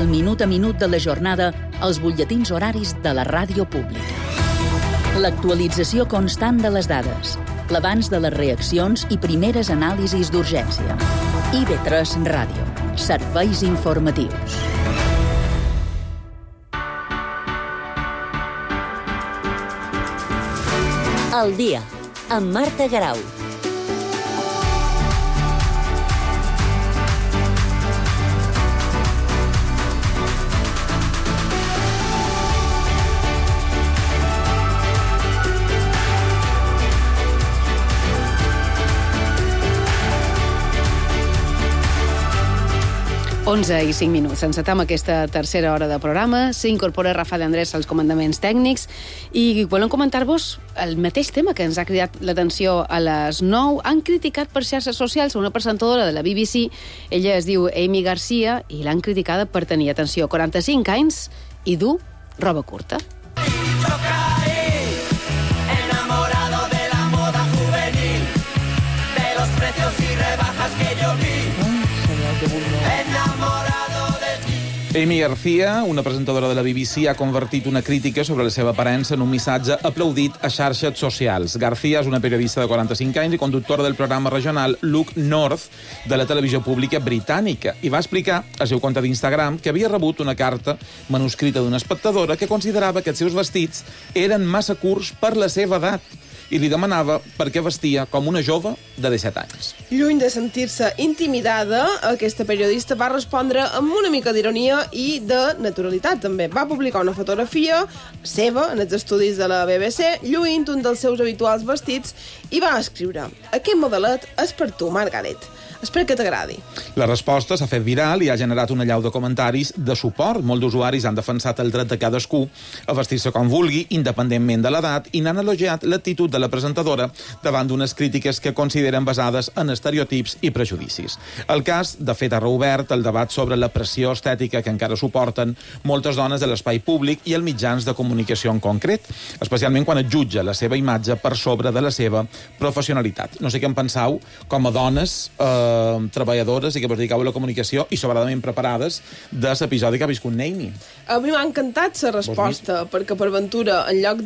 el minut a minut de la jornada als butlletins horaris de la ràdio pública. L'actualització constant de les dades, l'abans de les reaccions i primeres anàlisis d'urgència. IB3 Ràdio. Serveis informatius. Al dia, amb Marta Garau. Onze i 5 minuts. Encetam aquesta tercera hora de programa. S'incorpora Rafael Andrés als comandaments tècnics i volem comentar-vos el mateix tema que ens ha cridat l'atenció a les 9. Han criticat per xarxes socials una presentadora de la BBC. Ella es diu Amy Garcia i l'han criticada per tenir, atenció, 45 anys i dur roba curta. Amy Garcia, una presentadora de la BBC, ha convertit una crítica sobre la seva aparença en un missatge aplaudit a xarxes socials. Garcia és una periodista de 45 anys i conductora del programa regional Look North de la televisió pública britànica i va explicar al seu compte d'Instagram que havia rebut una carta manuscrita d'una espectadora que considerava que els seus vestits eren massa curts per la seva edat i li demanava per què vestia com una jove de 17 anys. Lluny de sentir-se intimidada, aquesta periodista va respondre amb una mica d'ironia i de naturalitat, també. Va publicar una fotografia seva en els estudis de la BBC, lluint un dels seus habituals vestits, i va escriure: "Aquest modelet és per tu, Margaret. Espero que t'agradi." La resposta s'ha fet viral i ha generat una allau de comentaris de suport. Molts d'usuaris han defensat el dret de cadascú a vestir-se com vulgui, independentment de l'edat, i n'han elogiat l'actitud de la presentadora davant d'unes crítiques que consideren basades en estereotips i prejudicis. El cas, de fet, ha reobert el debat sobre la pressió estètica que encara suporten moltes dones de l'espai públic i els mitjans de comunicació en concret, especialment quan es jutja la seva imatge per sobre de la seva professionalitat. No sé què en penseu, com a dones treballadores i que vos dediqueu a la comunicació i sobradament preparades de l'episodi que ha viscut Amy. A mi m'ha encantat la resposta, perquè per ventura, en lloc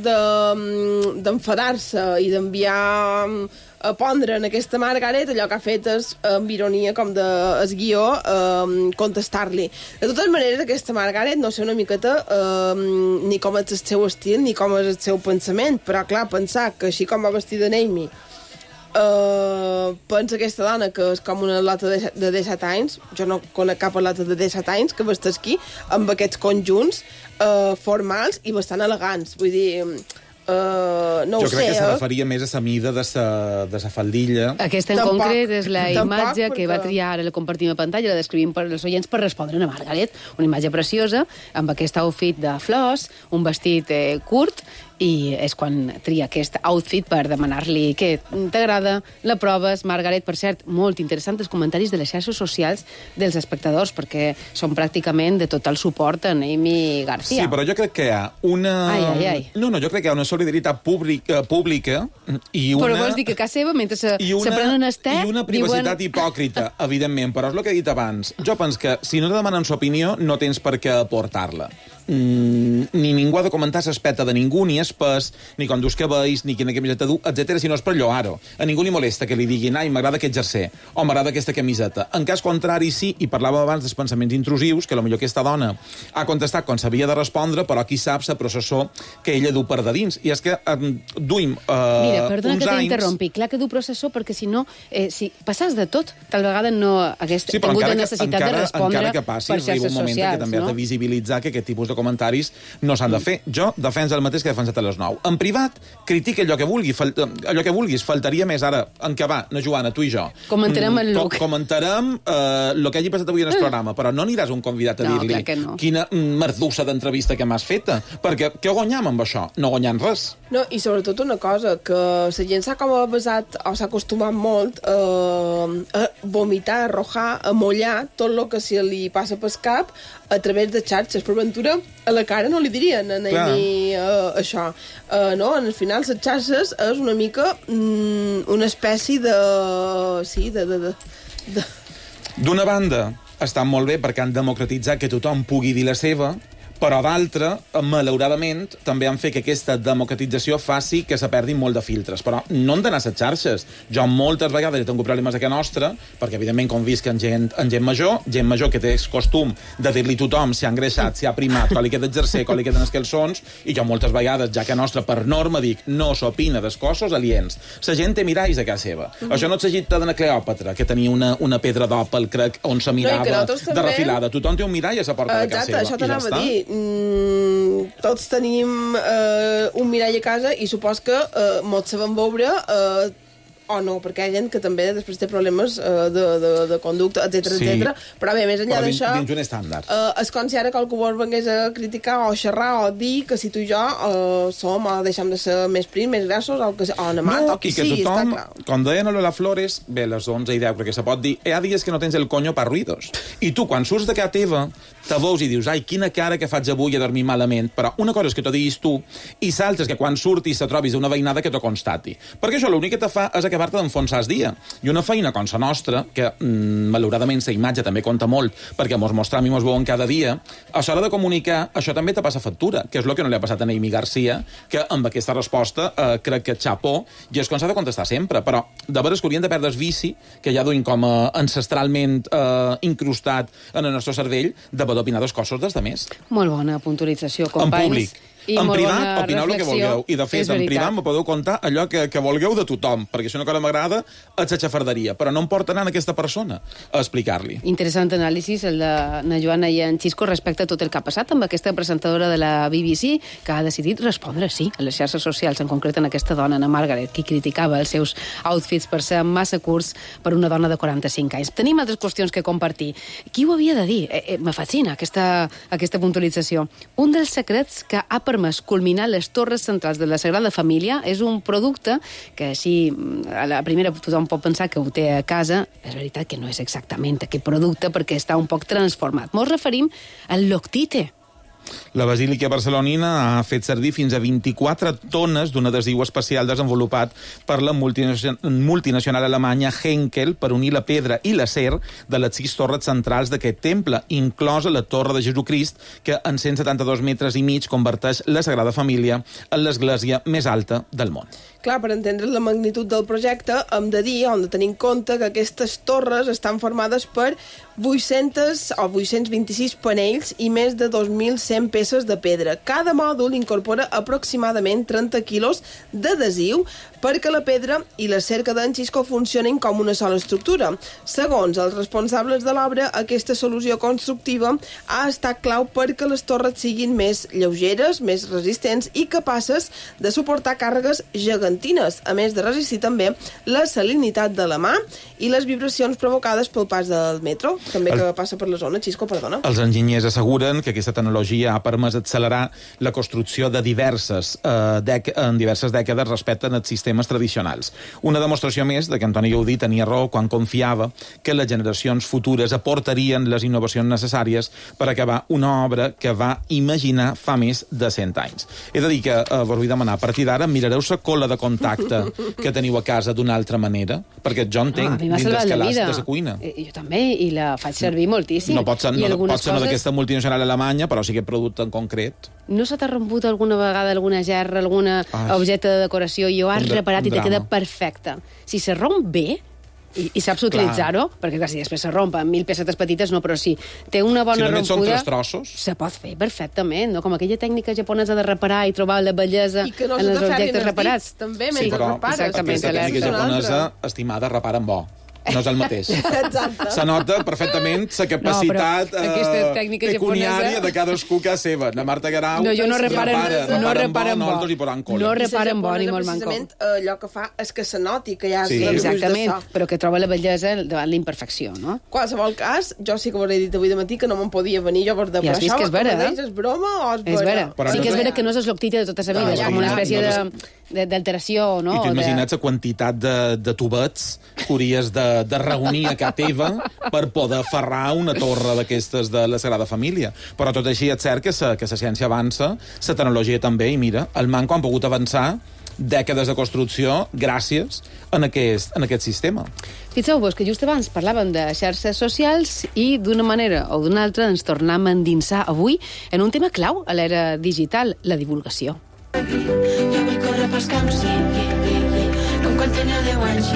d'enfadar-se i d'enviar a pondre en aquesta Margaret, allò que ha fet és, amb ironia, com el guió, contestar-li. De totes maneres, aquesta Margaret, no sé una miqueta ni com és el seu estil ni com és el seu pensament, però clar, pensar que així com va vestida Amy pensa aquesta dona que és com una atleta de 17 anys, jo no conec cap atleta de 17 anys que vesteixi amb aquests conjunts formals i bastant elegants, vull dir... no jo ho sé, crec que se referia més a la mida de sa faldilla. Aquesta en concret és la imatge que va triar, ara la compartim a pantalla, la descrivim per als oients per respondre a Margaret, una imatge preciosa, amb aquest outfit de flors, un vestit curt, i és quan tria aquest outfit per demanar-li què t'agrada, la proves. Margaret, per cert, molt interessant els comentaris de les xarxes socials dels espectadors, perquè són pràcticament de total suport a Amy Garcia. Sí, però jo crec que hi ha una... Ai. No, jo crec que hi ha una solidaritat pública i una... Però vols dir que a casa seva, mentre se prenen el té... I una privacitat hipòcrita, evidentment, però és el que he dit abans. Jo penso que si no te demanen l'opinió, no tens per què aportar-la. Ni ningú ha de comentar l'aspecte de ningú, ni és pes, ni com dus que veus, ni quina camiseta du, etc. si no és per lloar-ho. A ningú li molesta que li diguin ai, m'agrada aquest jersei, o m'agrada aquesta camiseta. En cas contrari, sí, i parlàvem abans dels pensaments intrusius, que potser aquesta dona ha contestat quan s'havia de respondre, però qui sap la processó que ella du per de dins. I és que duim Mira, perdona uns que anys... t'interrompi. Clar que du processó, perquè si no, si passàs de tot, tal vegada no hagués tingut la necessitat de respondre que passi, per xarxes un moment socials, que també has de visibilitzar que aquest tipus de comentaris no s'han de fer. Jo defenso el mateix que he defensat a les 9. En privat, critica allò que vulguis. Faltaria més ara, en què va, na Joana, tu i jo. Comentarem el look. Comentarem el que hagi passat avui en el programa, però no aniràs un convidat a dir-li quina merdussa d'entrevista que m'has feta, perquè què guanyam amb això? No guanyant res. No, i sobretot una cosa, que la gent s'ha com basat, o s'ha acostumat molt a vomitar, a arrojar, a mollar tot el que se li passa pel cap a través de xarxes. Per ventura, a la cara no li dirien a Amy això. No? Al final, les xarxes és una mica una espècie de... Sí, D'una banda, estan molt bé perquè han democratitzat que tothom pugui dir la seva, però d'altra, malauradament, també han fet que aquesta democratització faci que se perdin molt de filtres. Però no han d'anar a les xarxes. Jo moltes vegades he tingut problemes a casa nostra, perquè evidentment com visc en gent major que té costum de dir-li tothom si ha engreixat, si ha primat, quan li queda exercer, quan li queden els calçons, i jo moltes vegades, ja que a nostra per norma dic, no s'opina dels cossos aliens. La gent té miralls a casa seva. Això no és Egipte de Cleòpatra, que tenia una pedra d'òpal, crec, on se mirava de refilada. Tothom té un mirall a la porta de casa seva. Això t'anava a dir. Tots tenim un mirall a casa i supos que mos sabem veure o no, perquè hi ha gent que també després té problemes de conducta, etc. Però bé, més enllà d'això, dins un estàndard. És com si ara qualcú vengués a criticar o xerrar o dir que si tu i jo som o deixem de ser més prims, més grassos o anemat, o qui sigui, està clar. Com deien a Lola Flores, bé, les 11:10 crec que se pot dir, hi ha dies que no tens el coño pa ruidos. I tu, quan surts de casa teva, te veus i dius, ai, quina cara que faig avui a dormir malament, però una cosa és que t'ho diguis tu i l'altra és que quan surtis te trobis una veïnada que t'ho constati. Perquè això l'únic que te fa és acabar-te d'enfonsar el dia. I una feina com la nostra, que malauradament la imatge també compta molt, perquè mos mostram i mos veuen cada dia, a l'hora de comunicar, això també te passa factura, que és el que no li ha passat a Noemí Garcia, que amb aquesta resposta crec que xapó, i és com s'ha de contestar sempre, però de veres que haurien de perdre el vici, que ja duim com ancestralment incrustat en el nostre cervell, de poder opinar dels cossos dels altres. Molt bona puntualització, companys. En públic. En privat, opineu el que vulgueu. I, de fet, en privat me podeu contar allò que vulgueu de tothom, perquè si una cosa m'agrada, és la xafarderia. Però no em porta anant aquesta persona a explicar-li. Interessant anàlisi, el de na Joana i en Xisco, respecte a tot el que ha passat amb aquesta presentadora de la BBC, que ha decidit respondre sí a les xarxes socials, en concret en aquesta dona, Anna Margaret, que criticava els seus outfits per ser massa curts per una dona de 45 anys. Tenim altres qüestions que compartir. Qui ho havia de dir? Me fascina aquesta puntualització. Un dels secrets que ha permès culminar les torres centrals de la Sagrada Família és un producte que així a la primera tothom pot pensar que ho té a casa. És veritat que no és exactament aquest producte perquè està un poc transformat. Ens referim al Loctite. La Basílica Barcelonina ha fet servir fins a 24 tones d'un adhesiu especial desenvolupat per la multinacional alemanya Henkel per unir la pedra i l'acer de les 6 torres centrals d'aquest temple, inclosa la Torre de Jesucrist, que en 172 metres i mig converteix la Sagrada Família en l'església més alta del món. Clar, per entendre la magnitud del projecte, hem de dir, hem de tenir en compte que aquestes torres estan formades per 800 o 826 panells i més de 2.100 peces de pedra. Cada mòdul incorpora aproximadament 30 quilos d'adhesiu perquè la pedra i la cerca d'en Xisco funcionin com una sola estructura. Segons els responsables de l'obra, aquesta solució constructiva ha estat clau perquè les torres siguin més lleugeres, més resistents i capaces de suportar càrregues gegantines, a més de resistir també la salinitat de la mà i les vibracions provocades pel pas del metro, també que passa per la zona. Xisco, perdona. Els enginyers asseguren que aquesta tecnologia ha permès accelerar la construcció de diverses dècades respecte als sistemes tradicionals. Una demostració més de que Antoni Gaudí tenia raó quan confiava que les generacions futures aportarien les innovacions necessàries per acabar una obra que va imaginar fa més de 100 anys. He de dir que vos vull demanar, a partir d'ara mirareu la cola de contacte que teniu a casa d'una altra manera, perquè jo entenc dins dels calats de la cuina. Jo també, i la faig servir moltíssim. No pot ser no d'aquesta multinacional alemanya, però sí que producte en concret. No se t'ha romput alguna vegada alguna gerra, algun objecte de decoració i ho has reparat i te queda perfecte? Si se romp bé i saps utilitzar-ho, perquè clar, si després se romp en 1000 pesetes petites, no, però si té una bona rompuda, se pot fer perfectament, no? Com aquella tècnica japonesa de reparar i trobar la bellesa en els objectes reparats. També, mentre repares. Aquesta tècnica japonesa, estimada, repara amb bo. No és el mateix. Exacte. Se nota perfectament la capacitat pecuniària de cadascú que és seva. La Marta Guerau no reparen bo. No reparen bo ni molt manco. Precisament allò que fa és que se noti que hi ha... Sí, exactament, però que troba la bellesa davant la imperfecció, no? Qualsevol cas, jo sí que us he dit avui de matí que no me'n podia venir jo per de... Ja has vist que és vera, és broma o és vera? Sí que és vera que no és el Loctite de tota la vida, és com una espècie d'alteració, no? I tu imagina't la quantitat de tubets que hauries de reunir a casa teva per poder aferrar una torre d'aquestes de la Sagrada Família. Però tot així és cert que la ciència avança, la tecnologia també, i mira, el manco han pogut avançar dècades de construcció gràcies a aquest sistema. Fixeu-vos que just abans parlàvem de xarxes socials i d'una manera o d'una altra ens tornem a endinsar avui en un tema clau a l'era digital, la divulgació. Jo vull córrer pels camps, com quan tenia 10 anys,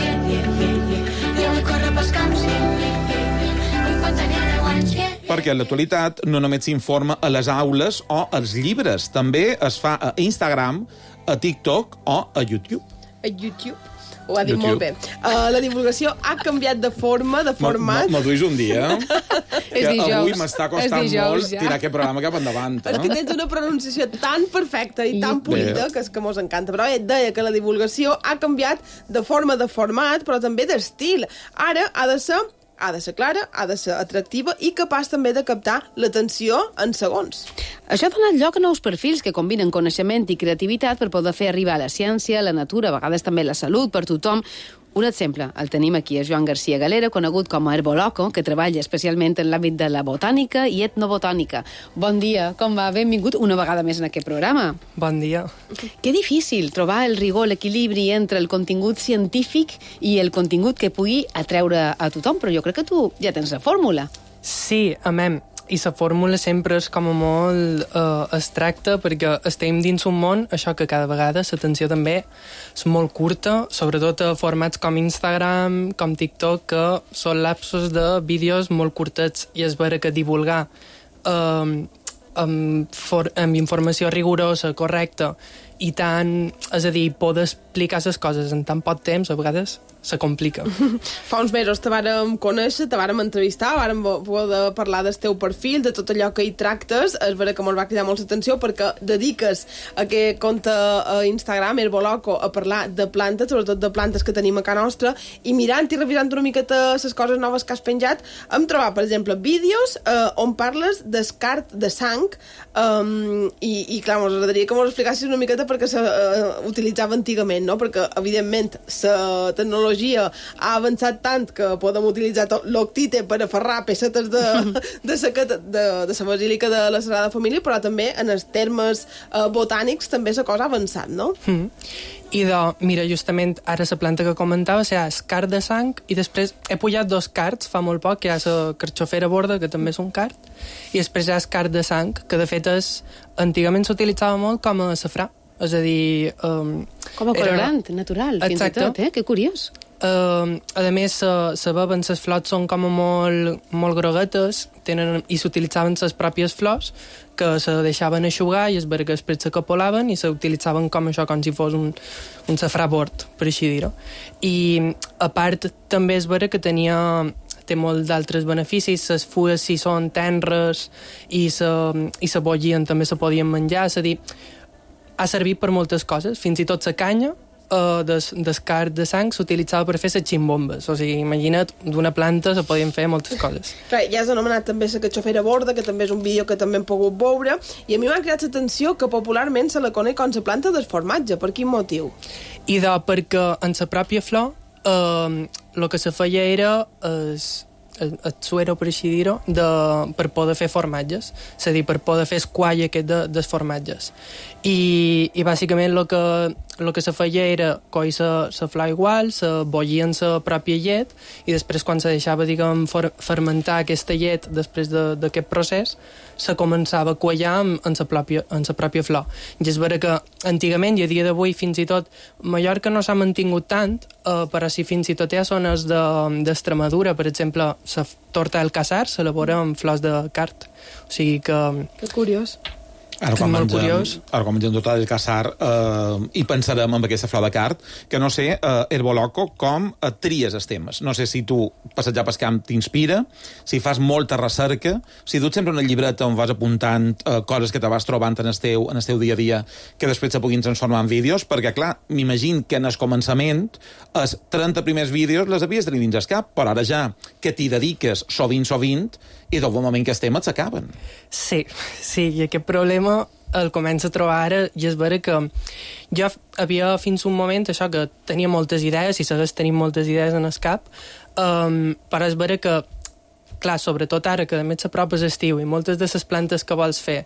jo vull córrer pels camps, com quan tenia 10 anys, Perquè en l'actualitat no només s'informa a les aules o als llibres, també es fa a Instagram, a TikTok o a YouTube. A YouTube. Ho ha dit molt bé. La divulgació ha canviat de forma, de format. Me'l duis un dia. És dijous. Avui m'està costant molt tirar aquest programa cap endavant. És que tens una pronunciació tan perfecta i tan polida que és que mos encanta. Però et deia que la divulgació ha canviat de forma, de format, però també d'estil. Ara ha de ser clara, ha de ser atractiva i capaç també de captar l'atenció en segons. Això ha donat lloc a nous perfils que combinen coneixement i creativitat per poder fer arribar la ciència, la natura, a vegades també la salut per tothom. Un exemple, el tenim aquí, és Joan García Galera, conegut com a Herboloco, que treballa especialment en l'àmbit de la botànica i etnobotànica. Bon dia, com va? Benvingut una vegada més en aquest programa. Bon dia. Que difícil trobar el rigor, l'equilibri entre el contingut científic i el contingut que pugui atreure a tothom, però jo crec que tu ja tens la fórmula. Sí, amem. I la fórmula sempre és com a molt abstracta perquè estem dins un món, això que cada vegada l'atenció també és molt curta, sobretot a formats com Instagram, com TikTok, que són lapsos de vídeos molt curtets i és vera que divulgar amb informació rigorosa, correcta, i tant, és a dir, poder explicar les coses en tan poc temps, a vegades se complica. Fa uns mesos te vàrem conèixer, te vàrem entrevistar, vàrem poder parlar del teu perfil, de tot allò que hi tractes. És vera que mos va cridar molt l'atenció perquè dediques aquest compte a Instagram, Herboloco, a parlar de plantes, sobretot de plantes que tenim a casa nostra, i mirant i revisant una miqueta les coses noves que has penjat, hem trobat, per exemple, vídeos on parles d'escart de sang, i clar, mos agradaria que mos explicassis una miqueta perquè s'utilitzava antigament, no? Perquè, evidentment, la tecnologia ha avançat tant que podem utilitzar l'octite per aferrar pessetes de la basílica de la Sagrada Família, però també en els termes botànics també la cosa ha avançat, no? I mira, justament ara la planta que comentava és cart de sang, i després he pujat 2 carts fa molt poc, que hi ha la carxofera borda, que també és un cart, i després hi ha el cart de sang, que de fet antigament s'utilitzava molt com a safrà. És a dir... com a colorant, natural, fins i tot, Que curiós. A més, sabeben, les flors són com a molt groguetes i s'utilitzaven les pròpies flors que se deixaven eixugar i es veia que després s'acapolaven i s'utilitzaven com això, com si fos un safrà bord, per així dir-ho. I a part també és vera que té molt d'altres beneficis. Les fulles, si són tenres i se bollien, també se podien menjar. És a dir, ha servit per moltes coses, fins i tot la canya d'escart de sang s'utilitzava per fer les ximbombes. O sigui, imagina't, d'una planta se podien fer moltes coses. Clar, ja has anomenat també la carxofera borda, que també és un vídeo que també hem pogut veure, i a mi m'ha cridat l'atenció que popularment se la coneix com la planta del formatge. Per quin motiu? I perquè en la pròpia flor el que se feia era el suero, per així dir-ho, per poder fer formatges, és a dir, per poder fer esquall aquest dels formatges. I bàsicament el que se feia era coir la flor igual, se bollia en la pròpia llet, i després quan se deixava, diguem, fermentar aquesta llet després d'aquest procés, se començava a quallar en la pròpia flor. I és vera que antigament, i a dia d'avui fins i tot, Mallorca no s'ha mantingut tant, però si fins i tot hi ha zones d'Extremadura, per exemple, la torta del casar s'elabora amb flors de cart. O sigui que... Que curiós. Ara quan mengem tot el casar i pensarem en aquesta flor de cart, que no sé, Herboloco, com tries els temes. No sé si tu passejar pel camp t'inspira, si fas molta recerca, si duts sempre una llibreta on vas apuntant coses que te vas trobant en el teu dia a dia que després se puguin transformar en vídeos, perquè, clar, m'imagino que en el començament els 30 primers vídeos les havies de tenir dins el cap, però ara ja que t'hi dediques sovint, i d'un bon moment que els temes s'acaben. Sí, i aquest problema el començo a trobar ara i és vera que jo havia fins un moment això que tenia moltes idees i segueix tenint moltes idees en el cap, però és vera que, clar, sobretot ara que a més s'apropa l'estiu i moltes de les plantes que vols fer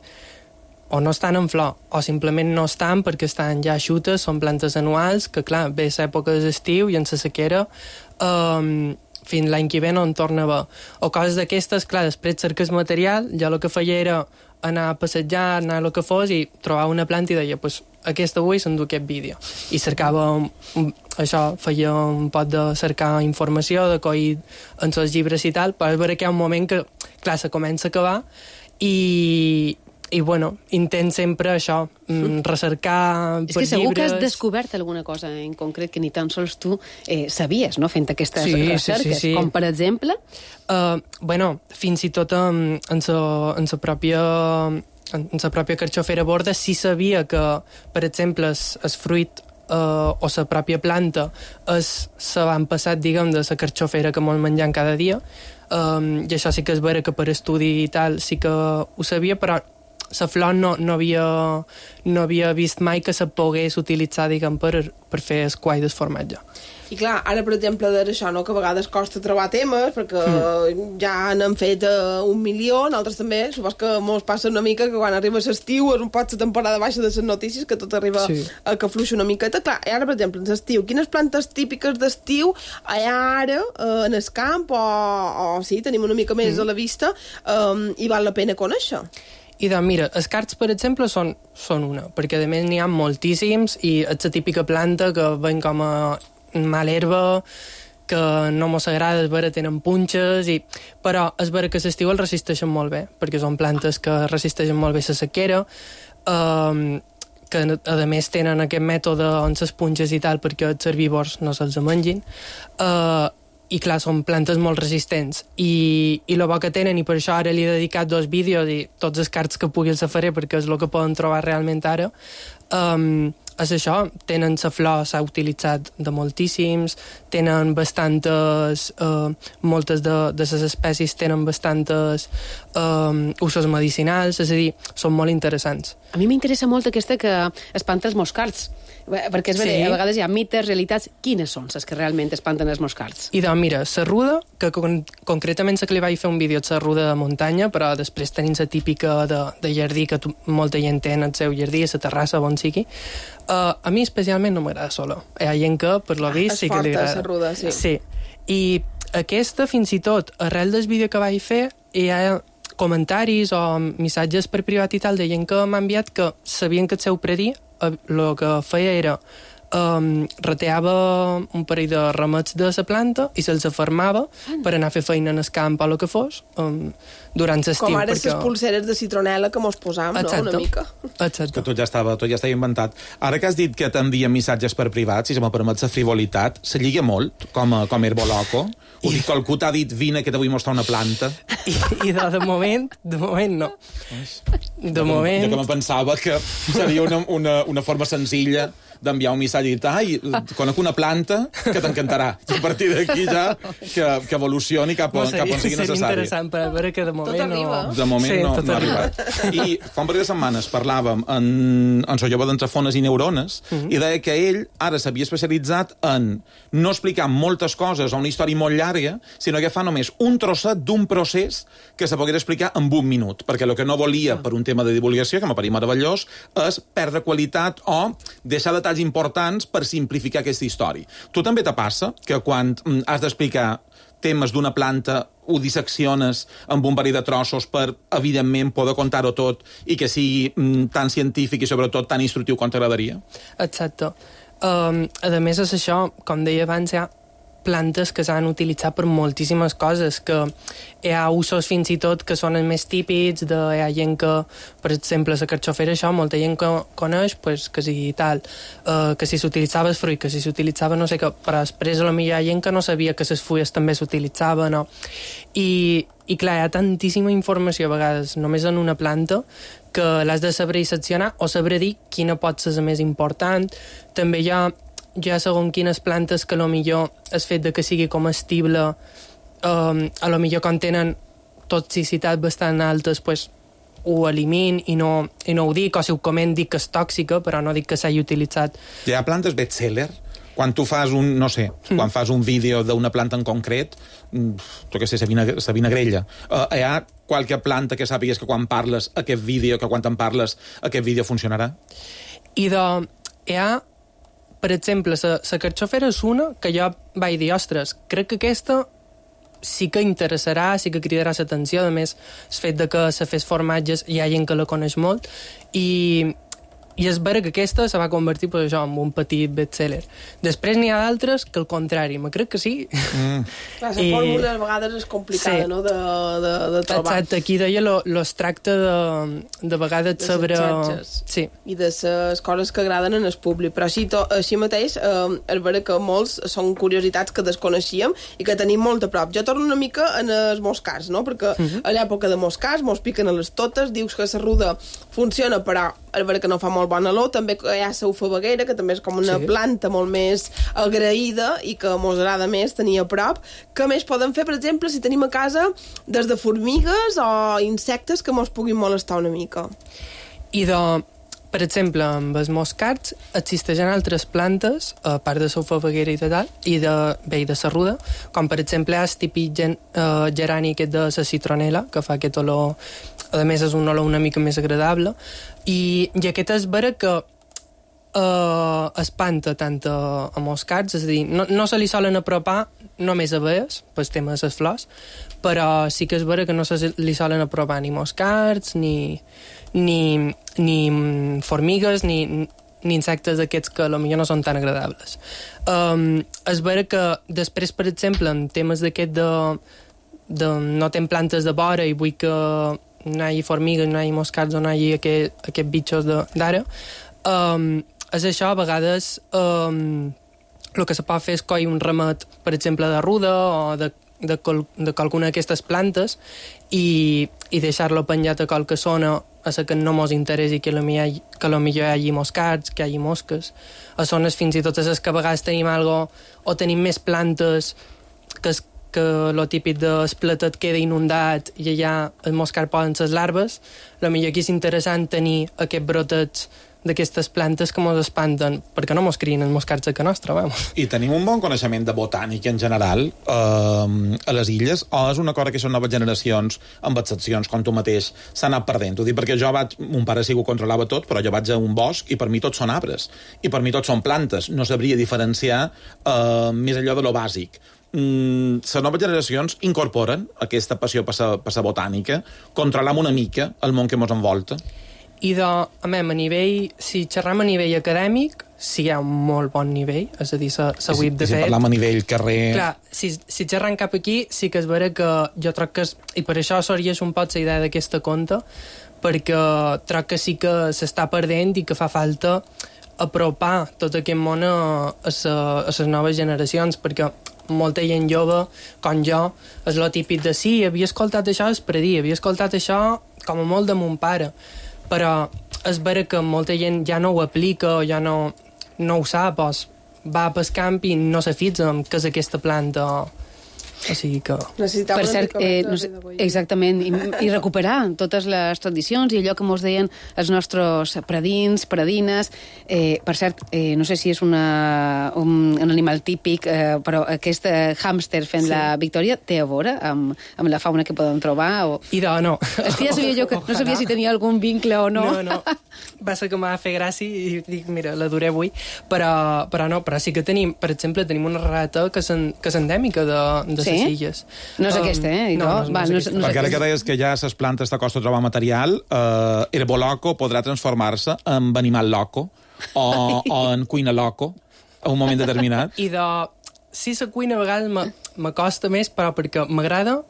o no estan en flor, o simplement no estan perquè estan ja eixutes, són plantes anuals, que clar, ve l'època de l'estiu i en la sequera fins l'any que ve no en torna a haver. O coses d'aquestes, clar, després cerques material, jo el que feia era anar a passejar, anar a lo que fos i trobar una planta i deia, pues, aquesta avui s'endú aquest vídeo. I cercava això, feia un pot de cercar informació, de coll en els llibres i tal, però és vera que hi ha un moment que, clar, se comença a acabar i bueno, intent sempre això, recercar per llibres... És que segur que has descobert alguna cosa en concret que ni tan sols tu sabies, no?, fent aquestes recerques. Sí. Com, per exemple? Bueno, fins i tot en la pròpia carxofera borda sí sabia que, per exemple, el fruit o la pròpia planta se van passat, diguem, de la carxofera que mos mengem cada dia, i això sí que és vera que per estudi i tal sí que ho sabia, però la flor no havia vist mai que se pogués utilitzar, diguem, per fer el quai del formatge. I clar, ara, per exemple, d'això, no?, que a vegades costa trobar temes, perquè ja n'han fet 1.000.000, altres també, supos que mos passa una mica que quan arriba l'estiu és un pot la temporada baixa de les notícies, que tot arriba a que fluixa una miqueta. Clar, i ara, per exemple, en l'estiu, quines plantes típiques d'estiu hi ha ara en el camp, o sí, tenim una mica més a la vista, i val la pena conèixer? I doncs mira, els cards, per exemple, són una, perquè a més n'hi ha moltíssims i és la típica planta que ven com a mal herba, que no mos agrada, és vera, tenen punxes, però és vera que l'estiu els resisteixen molt bé, perquè són plantes que resisteixen molt bé la sequera, que a més tenen aquest mètode on les punxes i tal perquè els herbívors no se'ls mengin, i clar, són plantes molt resistents i el bo que tenen, i per això ara li he dedicat 2 vídeos i tots els cards que pugui els faré perquè és el que poden trobar realment ara, és això, tenen la flor, s'ha utilitzat de moltíssims, tenen bastantes, moltes de les espècies tenen bastantes usos medicinals, és a dir, són molt interessants. A mi m'interessa molt aquesta que espanta els moscards, perquè és veritat, a vegades hi ha mites, realitats. Quines són les que realment espanten els moscards? I doncs mira, la ruda, que concretament la que li vaig fer un vídeo és la ruda de muntanya, però després tenim la típica de jardí que molta gent té en el seu jardí, a la terrassa, on sigui. A mi especialment no m'agrada sola. Hi ha gent que, per lo vist, sí que li agrada. És forta, la ruda, sí. Sí. I aquesta, fins i tot, arrel del vídeo que vaig fer, hi ha comentaris o missatges per privat i tal de gent que m'ha enviat que sabien que el seu predí el que feia era rateava un parell de ramets de la planta i se'ls afermava per anar a fer feina en el camp o el que fos durant l'estiu. Com ara les pulseres de citronela que mos posam, no? Una mica. Exacte. Que tot ja estava inventat. Ara que has dit que t'envien missatges per privat, si se me permet la frivolitat, se lliga molt, com Herboloco. Ho dic, algú t'ha dit, vine que t'vull mostrar una planta. I de moment no. De moment... Jo que me pensava que seria una forma senzilla d'enviar un missatge i dir, ai, conec una planta que t'encantarà. I a partir d'aquí ja que evolucioni cap on sigui necessari. Seria interessant, però a veure que de moment no... De moment no ha arribat. I fa un parell de setmanes parlàvem en el jove d'Entrefones i Neurones i deia que ell ara s'havia especialitzat en no explicar moltes coses o una història molt llarga, sinó que fa només un trosset d'un procés que se pogués explicar en un minut, perquè el que no volia per un tema de divulgació, que m'aparia meravellós, és perdre qualitat o deixar detalls importants per simplificar aquesta història. Tu també te passa que quan has d'explicar temes d'una planta ho dissecciones amb un parell de trossos per, evidentment, poder contar-ho tot i que sigui tan científic i, sobretot, tan instructiu com t'agradaria? Exacte. A més, és això, com deia abans, hi ha plantes que s'han utilitzat per moltíssimes coses, que hi ha usos fins i tot que són els més típics, hi ha gent que, per exemple, la carxofera, això, molta gent que coneix, pues, que si tal, que si s'utilitzava el fruit, que si s'utilitzava no sé què, però després potser hi ha gent que no sabia que les fulles també s'utilitzaven, no? I clar, hi ha tantíssima informació a vegades només en una planta que l'has de saber disseccionar o saber dir quina pot ser la més important. També hi ha segons quines plantes que millor el fet de que sigui comestible a lo millor quan tenen toxicitat bastant altes, pues, ho elimin i no ho dic, o si ho coment dic que és tòxica, però no dic que s'hagi utilitzat. Hi ha plantes bestseller? Quan tu fas quan fas un vídeo d'una planta en concret, jo què sé, sa vinagrella, hi ha qualque planta que sàpigues que quan parles aquest vídeo, que quan te'n parles aquest vídeo funcionarà? I hi ha, per exemple, la carxofera és una que jo vaig dir, ostres, crec que aquesta sí que interessarà, sí que cridarà l'atenció. A més, el fet de que se fes formatges hi ha gent que la coneix molt i és vera que aquesta se va convertir pues, això, en un petit bestseller. Després n'hi ha d'altres que al contrari, me crec que sí. Clar, la fórmula a vegades és complicada, sí. no?, de trobar. Exacte, aquí deia es tracta de vegades de sobre... Sí. I de les coses que agraden en el públic. Però així mateix, és vera que molts són curiositats que desconeixíem i que tenim molt a prop. Jo torno una mica en els moscars, no?, perquè a l'època de moscars mos piquen a les totes, dius que la ruda funciona, però és vera que no fa molt bona olor. També hi ha la ufabaguera, que també és com una planta molt més agraïda i que mos agrada més tenir a prop. Què més podem fer, per exemple, si tenim a casa des de formigues o insectes que mos puguin molestar una mica? Per exemple, amb els moscards existeixen altres plantes, a part de la ufabaguera i de tal, i de la ruda, com per exemple el típic gerani aquest de la citronela, que fa aquest olor, a més és un olor una mica més agradable, i aquest és vera que espanta tant a moscards, és a dir, no se li solen apropar només abelles, pel tema de les flors, però sí que és vera que no se li solen apropar ni moscards, ni formigues, ni insectes d'aquests que potser no són tan agradables. És vera que després, per exemple, en temes d'aquest de no tenir plantes de vora i vull que no hi hagi formigues, no hi hagi moscards o no hi hagi aquests bitxos d'ara, és això, a vegades el que se pot fer és coll un ramet, per exemple, de ruda o de qualcuna d'aquestes plantes i deixar-lo penjat a qualque zona a la que no mos interessi que potser hi hagi moscards, que hi hagi mosques, a zones fins i tot a les que a vegades tenim o tenim més plantes que el típic del platet queda inundat i allà el moscard poden les larves, potser aquí és interessant tenir aquests brotets d'aquestes plantes que mos espanten, perquè no mos crien els moscards a casa nostra, vamos. I tenim un bon coneixement de botànica en general a les illes, o és una cosa que són noves generacions, amb excepcions, com tu mateix, s'ha anat perdent? Ho dic perquè mon pare sí que ho controlava tot, però jo vaig a un bosc i per mi tots són arbres, i per mi tots són plantes. No sabria diferenciar més allò de lo bàsic. Les noves generacions incorporen aquesta passió per la botànica, controlam una mica el món que ens envolta. I a nivell, si xerram a nivell acadèmic, sí hi ha un molt bon nivell, és a dir, s'ha web de fet. Si parlam a nivell carrer... Clar, si xerram cap aquí, sí que és vera que jo troc que... I per això sorgeix un poc la idea d'aquesta conta, perquè troc que sí que s'està perdent i que fa falta apropar tot aquest món a les noves generacions, perquè molta gent jove, com jo, és lo típic de sí, havia escoltat això es predí, havia escoltat això com a molt de mon pare, però és vera que molta gent ja no ho aplica o ja no ho sap, o va pel camp i no se fixa en què és aquesta planta o sigui que... Per cert, exactament, i recuperar totes les tradicions i allò que mos deien els nostres predins, predines. Per cert, no sé si és un animal típic, però aquest hàmster fent la Victòria té a veure amb la fauna que podem trobar? I no. És que ja sabia jo que no sabia si tenia algun vincle o no. No. Va ser que m'ha fet gràcia i dic, mira, l'adoré avui, però no, però sí que tenim, per exemple, tenim una rata que és endèmica de les illes. No és aquesta, No és perquè ara que deies que ja a les plantes te costa trobar material, herboloco podrà transformar-se en animal loco o en cuina loco a un moment determinat. I si la cuina a vegades m'acosta més, però perquè m'agrada,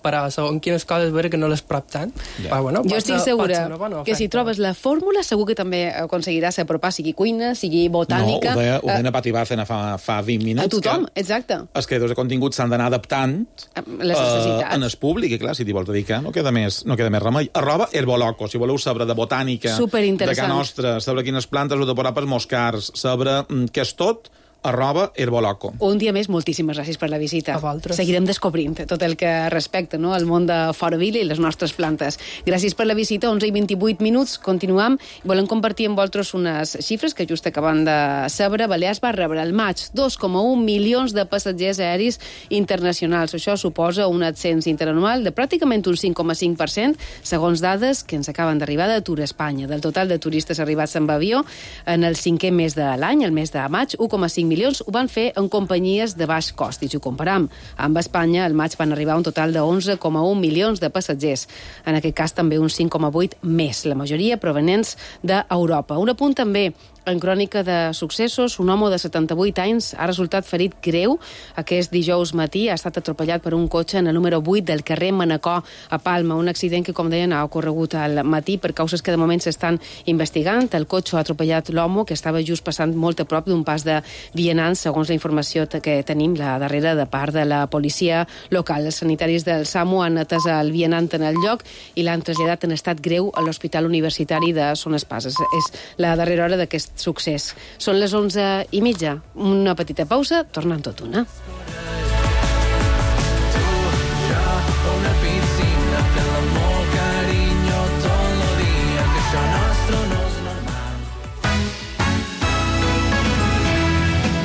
però segons quines coses veure que no les prop tant. Yeah. Bueno, jo estic segura que si trobes la fórmula segur que també aconseguiràs apropar, sigui cuina, sigui botànica... No, ho deia Pati Bárcena fa 20 minuts. A tothom, exacte. Els creadors de contingut s'han d'anar adaptant les necessitats. En el públic, i clar, si t'hi vols dedicar, no queda més remei. @herboloco, si voleu saber de botànica, de casa nostra, saber quines plantes heu de posar pels moscars, saber què és tot, @herboloco. Un dia més, moltíssimes gràcies per la visita. A vosaltres. Seguirem descobrint tot el que respecta, no?, al món de Fora Vila i les nostres plantes. Gràcies per la visita, 11:28. Continuam. Volem compartir amb vosaltres unes xifres que just acabem de saber. Balears va rebre al maig 2,1 milions de passatgers aeris internacionals. Això suposa un ascens interanual de pràcticament un 5,5%, segons dades que ens acaben d'arribar de Tour Espanya. Del total de turistes arribats amb avió en el 5è mes de l'any, el mes de maig, 1,5 milions ho van fer en companyies de baix cost. I si ho comparam amb Espanya, al maig van arribar un total de 11,1 milions de passatgers. En aquest cas també un 5,8 més, la majoria provenents d'Europa. Un apunt també en crònica de successos, un home de 78 anys ha resultat ferit greu. Aquest dijous matí ha estat atropellat per un cotxe en el número 8 del carrer Manacor a Palma. Un accident que, com deien, ha ocorregut al matí per causes que de moment s'estan investigant. El cotxe ha atropellat l'home que estava just passant molt a prop d'un pas de vianants, segons la informació que tenim la darrera de part de la policia local. Els sanitaris del SAMU han atès el vianant en el lloc i l'han traslladat en estat greu a l'Hospital Universitari de Son Espases. És la darrera hora d'aquest succés. Són les 11:30. Una petita pausa, tornant tot una.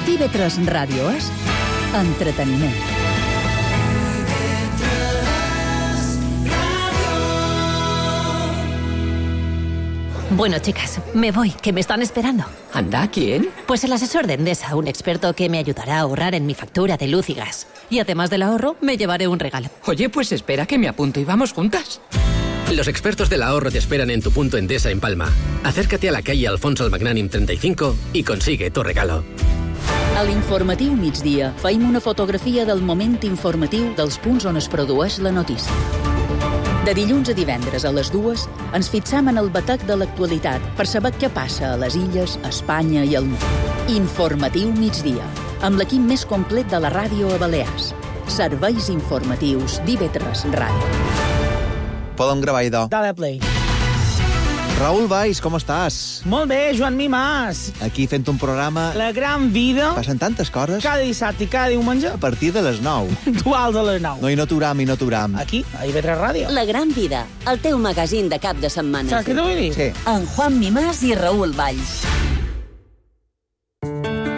TV3 Ràdio és entreteniment. Bueno, chicas, me voy, que me están esperando. ¿Anda? ¿Quién? Pues el asesor de Endesa, un experto que me ayudará a ahorrar en mi factura de luz y gas. Y además del ahorro, me llevaré un regalo. Oye, pues espera que me apunto y vamos juntas. Los expertos del ahorro te esperan en tu punto Endesa en Palma. Acércate a la calle Alfonso el Magnànim 35 y consigue tu regalo. A l'informatiu migdia feim una fotografia del moment informatiu dels punts on es produeix la notícia. De dilluns a divendres a les 2 ens fixam en el batec de l'actualitat per saber què passa a les illes, a Espanya i al món. Informatiu migdia, amb l'equip més complet de la ràdio a Balears. Serveis informatius d'IV3 Ràdio. Podem gravar, idò. Dale play. Raül Valls, com estàs? Molt bé, Joan Mimàs. Aquí fent un programa... La gran vida. Passen tantes coses. Cada dissabte i cada diumenge. A partir de les 9. Dual de les 9. No, i no aturam. Aquí, a IB3 Ràdio. La gran vida, el teu magazín de cap de setmana. Saps què t'ho vull dir? Sí. En Juan Mimàs i Raül Valls.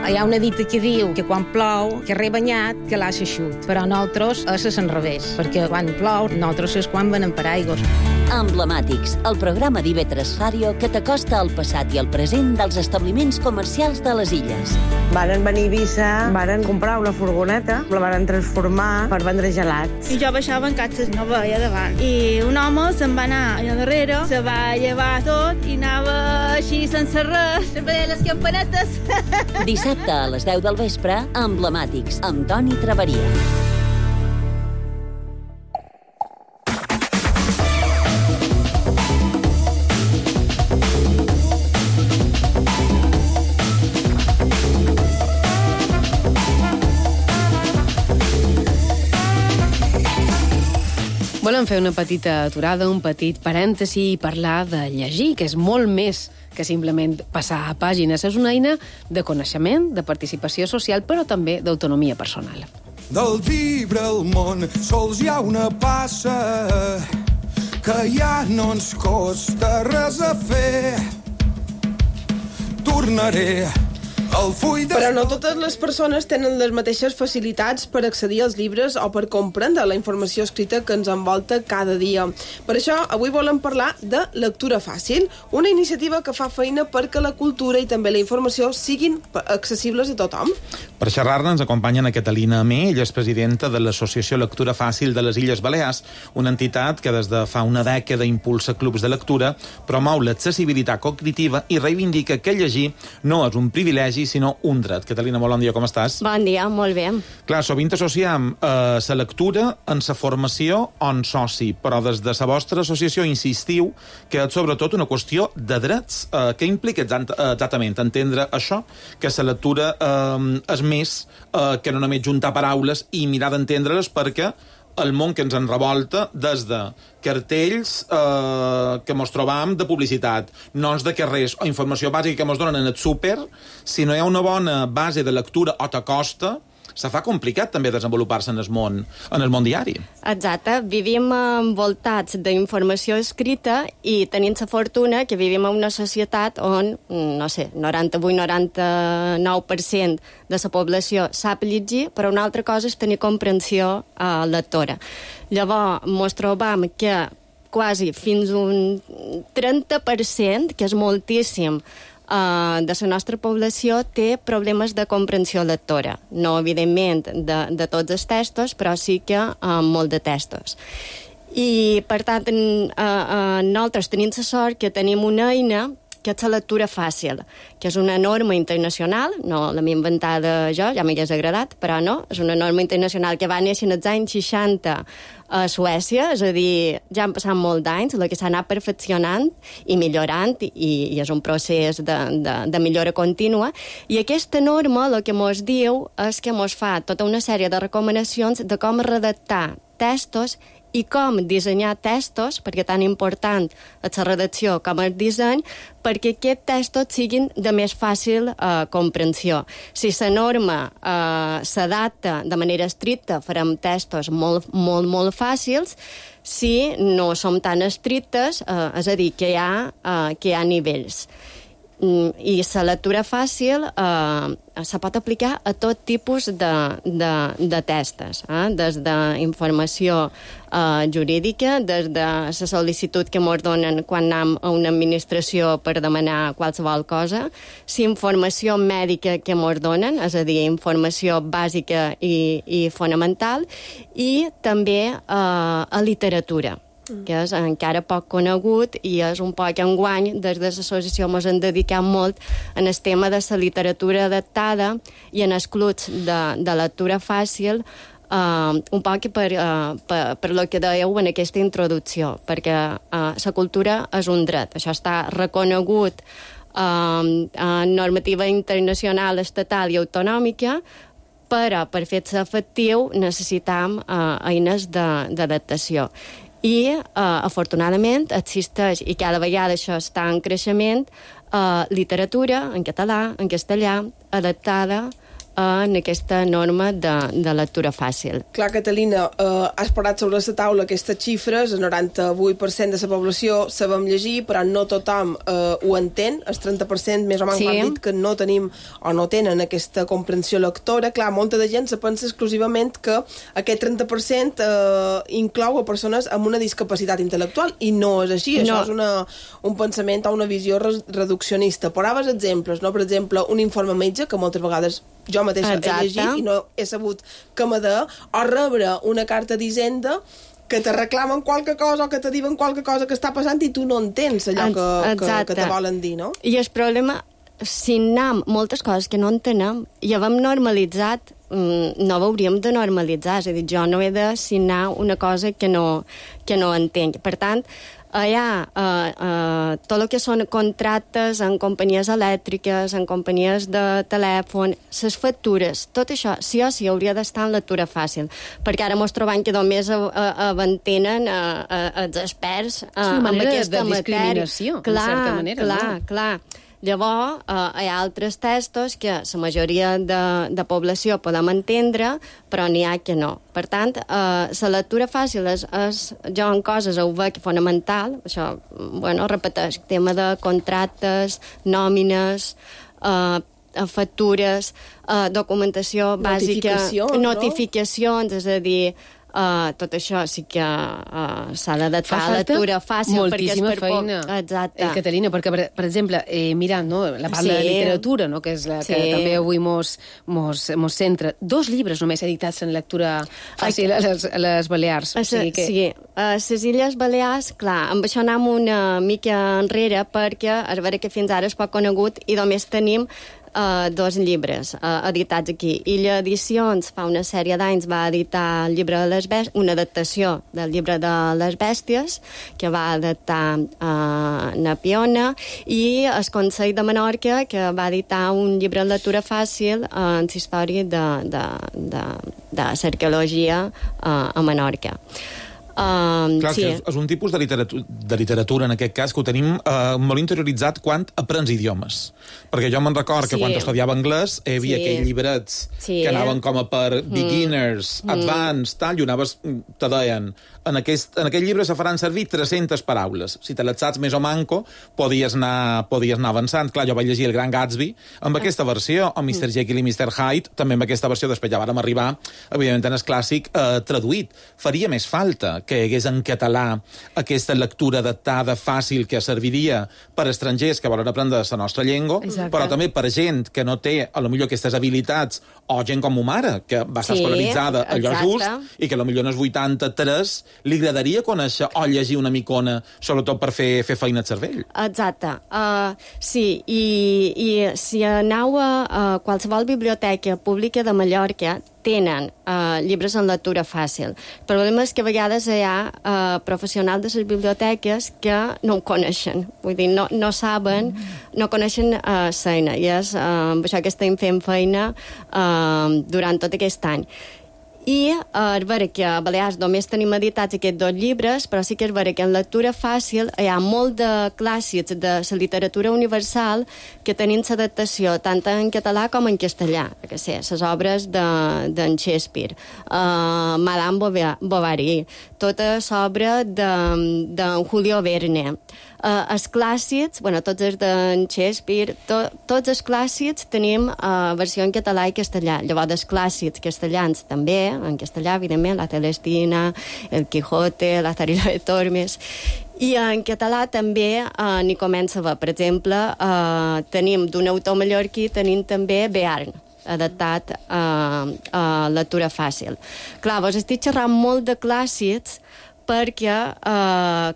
Hi ha una dita que diu que quan plou, que rebanyat, que l'ha xeixut. Però nosaltres és l'enrevés, perquè quan plou, nosaltres és quan venen per aigües. Emblemàtics, el programa d'IV3 Ràdio que t'acosta al passat i al present dels establiments comercials de les illes. Varen venir a Eivissa, varen comprar una furgoneta, la varen transformar per vendre gelats. I jo baixava en catxes, no veia davant. I un home se'n va anar allà darrere, se va llevar tot i anava així sense res, sempre deia les campanetes. Dissabte a les 10 del vespre, Emblemàtics, amb Toni Traveria. Volem fer una petita aturada, un petit parèntesi i parlar de llegir, que és molt més que simplement passar a pàgines. És una eina de coneixement, de participació social, però també d'autonomia personal. Del llibre al món sols hi ha una passa que ja no ens costa res a fer. Tornaré al full de... Però no totes les persones tenen les mateixes facilitats per accedir als llibres o per comprendre la informació escrita que ens envolta cada dia. Per això, avui volem parlar de lectura fàcil, una iniciativa que fa feina perquè la cultura i també la informació siguin accessibles a tothom. Per xerrar-ne ens acompanya Ana Catalina Amé, ella és presidenta de l'Associació Lectura Fàcil de les Illes Balears, una entitat que des de fa una dècada impulsa clubs de lectura, promou l'accessibilitat cognitiva i reivindica que llegir no és un privilegi sinó un dret. Catalina, molt bon dia, com estàs? Bon dia, molt bé. Clar, sovint associem la lectura en la formació o en soci, però des de la vostra associació insistiu que és sobretot una qüestió de drets. Què implica exactament entendre això? Que la lectura és més que no només juntar paraules i mirar d'entendre-les perquè el món que ens en revolta des de cartells que mos trobam de publicitat, noms de carrers o informació bàsica que mos donen en el súper. Si no hi ha una bona base de lectura o t'acosta, se fa complicat també desenvolupar-se en el món diari. Exacte. Vivim envoltats d'informació escrita i tenim la fortuna que vivim en una societat on, no sé, 98-99% de la població sap llegir, però una altra cosa és tenir comprensió lectora. Llavors, mos trobam que quasi fins un 30%, que és moltíssim, de la nostra població té problemes de comprensió lectora. No, evidentment, de tots els textos, però sí que molt de textos. I, per tant, nosaltres tenim la sort que tenim una eina que és la lectura fàcil, que és una norma internacional, no l'hem inventada jo, ja m'hagués agradat, però no, és una norma internacional que va néixer en els anys 60 a Suècia, és a dir, ja han passat molts d'anys, la que s'ha anat perfeccionant i millorant, i és un procés de millora contínua, i aquesta norma el que mos diu és que mos fa tota una sèrie de recomanacions de com redactar textos i com dissenyar textos, perquè tan important és la redacció com el disseny, perquè aquests textos siguin de més fàcil comprensió. Si la norma s'adapta de manera estricta, farem textos molt, molt, molt fàcils. Si no som tan estrictes, és a dir, que hi ha nivells. I la lectura fàcil se pot aplicar a tot tipus de textos, des d'informació jurídica, des de la sol·licitud que ens donen quan anem a una administració per demanar qualsevol cosa, la informació mèdica que ens donen, és a dir, informació bàsica i fonamental, i també a literatura, que és encara poc conegut i és un poc enguany. Des de l'associació ens hem dedicat molt en el tema de la literatura adaptada i en els clubs de lectura fàcil, un poc per lo que dèieu en aquesta introducció, perquè la cultura és un dret, això està reconegut en normativa internacional, estatal i autonòmica, però per fer-se efectiu necessitam eines d'adaptació. I, afortunadament, existeix, i cada vegada això està en creixement, literatura en català, en castellà, adaptada en aquesta norma de lectura fàcil. Clar, Catalina, has posat sobre la taula aquestes xifres, el 98% de la població sabem llegir, però no tothom ho entén, el 30% més o menys han dit que no tenim o no tenen aquesta comprensió lectora. Clar, molta de gent se pensa exclusivament que aquest 30% inclou a persones amb una discapacitat intel·lectual, i no és així. Això és un pensament o una visió reduccionista. Posaves exemples, no? Per exemple, un informe metge, que moltes vegades jo mateixa he llegit i no he sabut què m'ha de, o rebre una carta d'Hisenda que te reclamen qualque cosa o que te diuen qualque cosa que està passant i tu no entens allò que te volen dir, no? I el problema, si anem moltes coses que no entenem i hem normalitzat, no ho hauríem de normalitzar. És a dir, jo no he de signar una cosa que no entenc. Per tant, hi ha tot el que són contractes en companyies elèctriques, en companyies de telèfon, les factures, tot això sí o sí hauria d'estar en lectura fàcil, perquè ara mos trobem que només aventenen els experts amb aquesta matèria. De discriminació, en certa manera. Clar. Llavors, hi ha altres textos que la majoria de població podem entendre, però n'hi ha que no. Per tant, la lectura fàcil és jo en coses ho veig fonamental, això, repeteix, tema de contractes, nòmines, factures, documentació bàsica, notificacions, és a dir, tot això sí que s'ha d'adaptar a lectura fàcil. Moltíssima feina. Exacte. Catalina, perquè, per exemple, mirant la part de literatura, que és la que també avui mos centra, 2 llibres només editats en lectura fàcil a les Balears. Sí, a les Illes Balears, clar, amb això anem una mica enrere, perquè és vera que fins ara és poc conegut i només tenim 2 llibres editats aquí. Illa Edicions fa una sèrie d'anys va editar el llibre de les bèsties, una adaptació del llibre de les bèsties que va adaptar Napiona, i el Consell de Menorca, que va editar un llibre de lectura fàcil en història de l'arqueologia a Menorca. Clar, sí. és un tipus de literatura, en aquest cas, que ho tenim molt interioritzat quan aprens idiomes. Perquè jo me'n record que quan estudiava anglès hi havia aquells llibrets que anaven com a per beginners, advanced, tal, i anaves, te deien, en aquell llibre se faran servir 300 paraules. Si te les saps més o manco, podies anar avançant. Clar, jo vaig llegir El Gran Gatsby amb aquesta versió, o Mr. Jekyll i Mr. Hyde, també amb aquesta versió. Després ja vàrem arribar, evidentment, en el clàssic traduït. Faria més falta que hi hagués en català aquesta lectura adaptada, fàcil, que serviria per estrangers que volen aprendre la nostra llengua, però també per gent que no té, a lo millor, aquestes habilitats, o gent com ma mare, que va estar escolaritzada allò just, i que a lo millor en els 83 li agradaria conèixer o llegir una micona, sobretot per fer feina al cervell. Exacte. Sí, i si aneu a qualsevol biblioteca pública de Mallorca, tenen llibres en lectura fàcil. El problema és que a vegades hi ha professionals de les biblioteques que no ho coneixen. Vull dir, no saben, no coneixen feina. I és amb això que estem fent feina durant tot aquest any. I és vera que a Balears només tenim editats aquests 2 llibres, però sí que és vera que en lectura fàcil hi ha molt de clàssics de la literatura universal que tenim l'adaptació tant en català com en castellà, que sé, les obres d'en Shakespeare, Madame Bovary, tota l'obra d'en Julio Verne. Els clàssics, tots els d'en Shakespeare, tots els clàssics tenim versió en català i castellà. Llavors, els clàssics castellans també, en castellà, evidentment, la Celestina, el Quijote, la Tarila de Tormes. I en català també n'hi comença a haver. Per exemple, tenim d'un autor mallorquí, tenim també Bearn, adaptat a lectura fàcil. Clar, vos estic xerrant molt de clàssics perquè,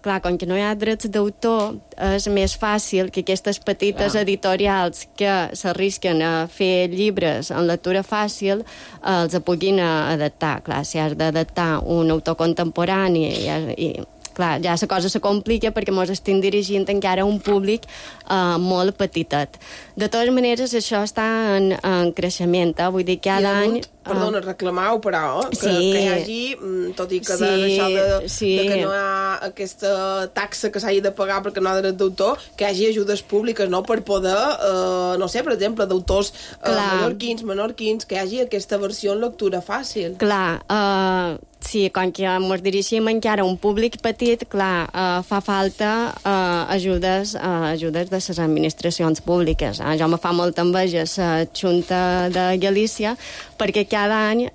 clar, com que no hi ha drets d'autor, és més fàcil que aquestes petites editorials que s'arrisquen a fer llibres en lectura fàcil els puguin adaptar. Clar, si has d'adaptar un autor contemporani i clar, ja la cosa se complica perquè ens estem dirigint encara a un públic molt petitet. De totes maneres, això està en creixement, vull dir que cada any... Perdona, reclamau, però, que hi hagi, tot i que això de que no hi ha aquesta taxa que s'hagi de pagar perquè no hi ha dret d'autor, que hi hagi ajudes públiques, no?, per poder, no sé, per exemple, d'autors menorquins, que hi hagi aquesta versió en lectura fàcil. Clar, sí, com que ens dirigim encara a un públic petit, clar, fa falta ajudes de les administracions públiques. Jo me fa molta enveja la Junta de Galícia perquè cada any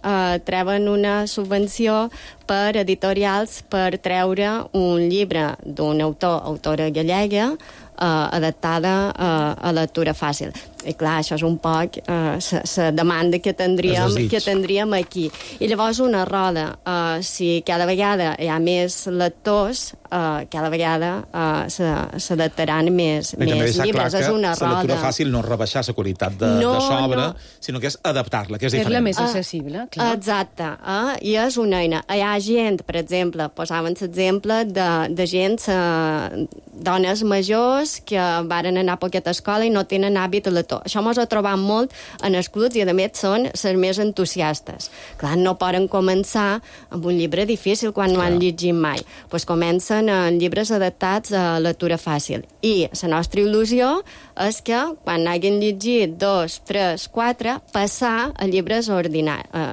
treuen una subvenció per editorials per treure un llibre d'un autora gallega adaptada a lectura fàcil. I clar, això és un poc la demanda que tindríem aquí. I llavors una roda. Si cada vegada hi ha més lectors, cada vegada s'adaptaran més llibres. És una roda. La lectura fàcil no és rebaixar la qualitat de l'obra, sinó que és adaptar-la, que és diferent. És la més accessible, clar. Exacte. I és una eina. Hi ha gent, per exemple, posaven l'exemple de gent, dones majors que varen anar a poqueta escola i no tenen hàbit a lector. Això mos ho trobam molt en els clubs i, a més, són les més entusiastes. Clar, no poden començar amb un llibre difícil quan no han llegit mai. Doncs comencen en llibres adaptats a lectura fàcil. I la nostra il·lusió és que, quan hagin llegit 2, 3, 4, passar a llibres a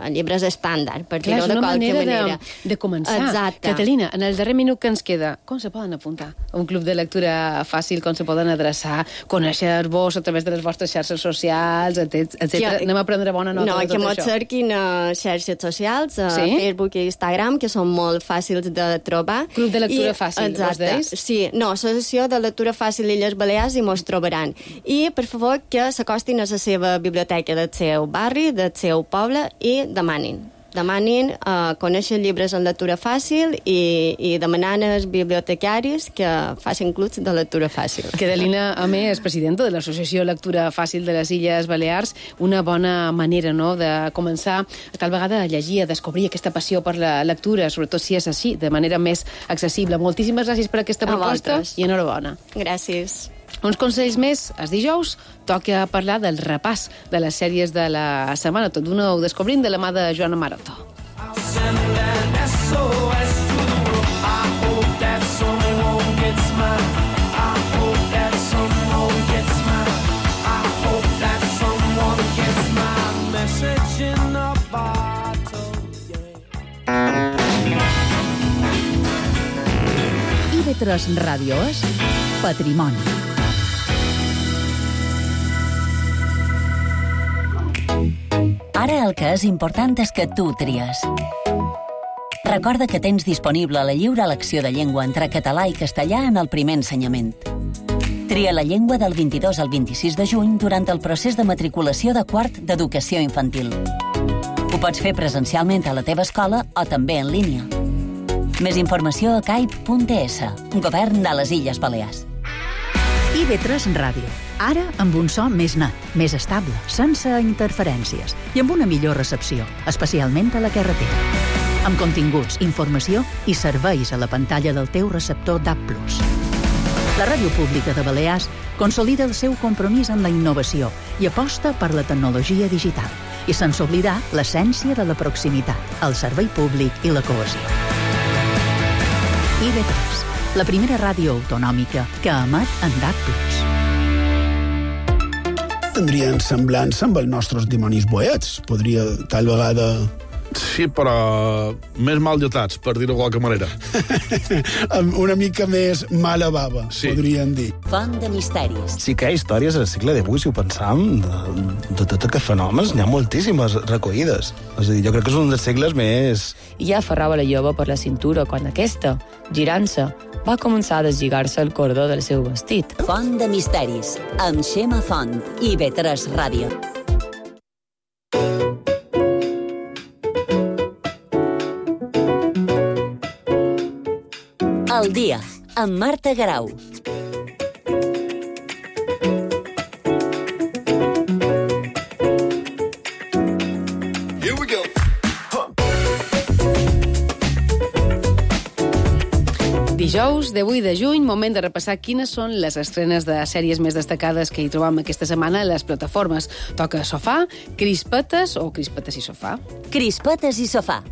llibres estàndard, per dir-ho de qualque manera. De començar. Exacte. Catalina, en el darrer minut que ens queda, com se poden apuntar a un club de lectura fàcil, com se poden adreçar, conèixer-vos a través de les vostres xarxes socials, etc. Anem a prendre bona nota de tot això. No, que mos cerquin a xarxes socials, a Facebook i Instagram, que són molt fàcils de trobar. Club de lectura fàcil, vos deis? Sí, no, Associació de Lectura Fàcil Illes Balears, i mos trobaran. I, per favor, que s'acostin a la seva biblioteca del seu barri, del seu poble, i demanin. Demanin conèixer llibres en lectura fàcil i demanant als bibliotecaris que facin clubs de lectura fàcil. Que Adelina Amé és presidenta de l'Associació Lectura Fàcil de les Illes Balears. Una bona manera, no?, de començar tal vegada a llegir, a descobrir aquesta passió per la lectura, sobretot si és així, de manera més accessible. Moltíssimes gràcies per aquesta proposta i enhorabona. Gràcies. Uns consells més. Els dijous toca parlar del repàs de les sèries de la setmana. Tot d'una ho descobrim de la mà de Joana Maroto. IB3 Ràdio és Patrimoni. Ara el que és important és que tu tries. Recorda que tens disponible la lliure elecció de llengua entre català i castellà en el primer ensenyament. Tria la llengua del 22 al 26 de juny durant el procés de matriculació de quart d'educació infantil. Ho pots fer presencialment a la teva escola o també en línia. Més informació a caip.es, Govern de les Illes Balears. IB3 Ràdio. Ara amb un so més net, més estable, sense interferències i amb una millor recepció, especialment a la carretera. Amb continguts, informació i serveis a la pantalla del teu receptor DAB+. La Ràdio Pública de Balears consolida el seu compromís amb la innovació i aposta per la tecnologia digital, i sense oblidar l'essència de la proximitat, el servei públic i la cohesió. IB3, la primera ràdio autonòmica que emet en DAB+. Tindrien semblança amb els nostres dimonis boets. Podria, tal vegada... Sí, però més mal dotats, per dir-ho de qualque manera. Una mica més mala bava, sí. Podríem dir. Font de misteris. Sí que hi ha històries al segle XVIII, si ho pensam, de tots aquests fenòmens, n'hi ha moltíssimes recollides. És a dir, jo crec que és un dels segles més... I ja aferrava la jove per la cintura quan aquesta, girant-se, va començar a deslligar-se el cordó del seu vestit. Font de misteris, amb Xema Font, IB3 Ràdio. El dia, amb Marta Garau. Here we go. Dijous de 8 de juny, moment de repassar quines són les estrenes de sèries més destacades que hi trobam aquesta setmana a les plataformes. Toca Sofà, Crispetes o Crispetes i Sofà? Crispetes i Sofà.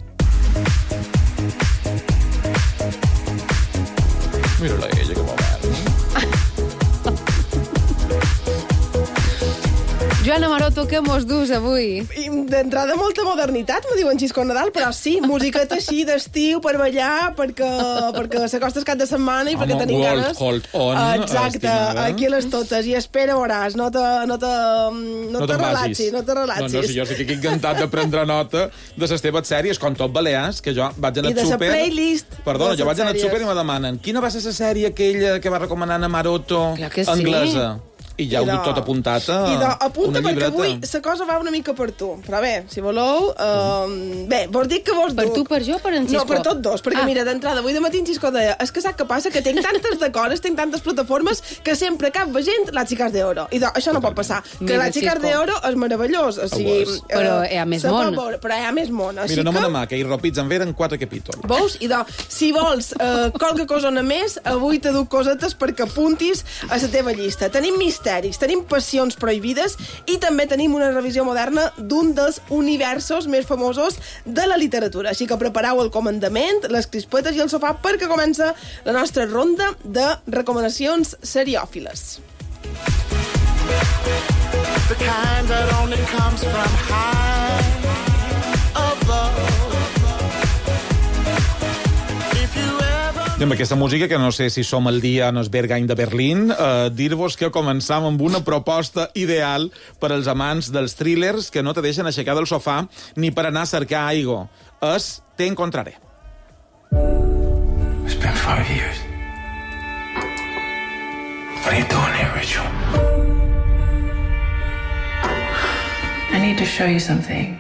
Mira-la ella, que moment. Joana Maroto, què mos dus avui? D'entrada molta modernitat, me diuen Xisco Nadal, però sí, musiqueta així d'estiu per ballar, perquè s'acosta el cap de setmana i perquè tenim ganes. Hold on, exacte, estimada. Aquí les totes. I espera, veuràs, no te relaxis. No, si jo estic encantat de prendre nota de les teves sèries, com tot Balears, que jo vaig anar al súper... I de la playlist. Perdona, jo vaig anar al súper i me demanen quina va ser la sèrie aquella que va recomanar a Maroto anglesa? I ja ho dic tot apuntat a apunta, una llibreta. Perquè avui la cosa va una mica per tu. Però bé, si voleu... Bé, vos dic que vos per tu, per jo, per en Xisco? No, per tots dos, perquè mira, d'entrada, avui de matí en Xisco deia és que sap què passa? Que tinc tantes decores, tinc tantes plataformes, que sempre cap gent Las Chicas de Oro. I això no pot passar. Que Las Chicas de Oro és meravellós. O sigui, però hi ha més món. Però hi ha més món. Mira, no me n'amà, que hi ropits en veren 4 capítols. Veus? I si vols qualque cosona més, avui te duc cosetes perquè apuntis a la teva llista. Tenim misteris, tenim passions prohibides i també tenim una revisió moderna d'un dels universos més famosos de la literatura. Així que prepareu el comandament, les crispetes i el sofà perquè comença la nostra ronda de recomanacions seriòfiles. The kind that only comes from high above. I amb aquesta música, que no sé si som el dia en el Berghain de Berlín, dir-vos que començam amb una proposta ideal per als amants dels thrillers que no te deixen aixecar del sofà ni per anar a cercar aigua. És Te encontraré. It's been 5 years. What are you doing here, Rachel? I need to show you something.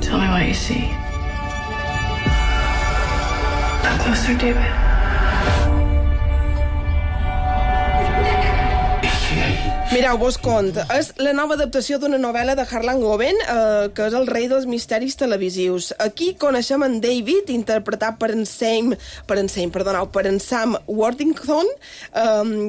Tell me all you see. Come closer, David. Mireu, vos cont, és la nova adaptació d'una novel·la de Harlan Coben, que és el rei dels misteris televisius. Aquí coneixem en David, interpretat per en Sam Worthington,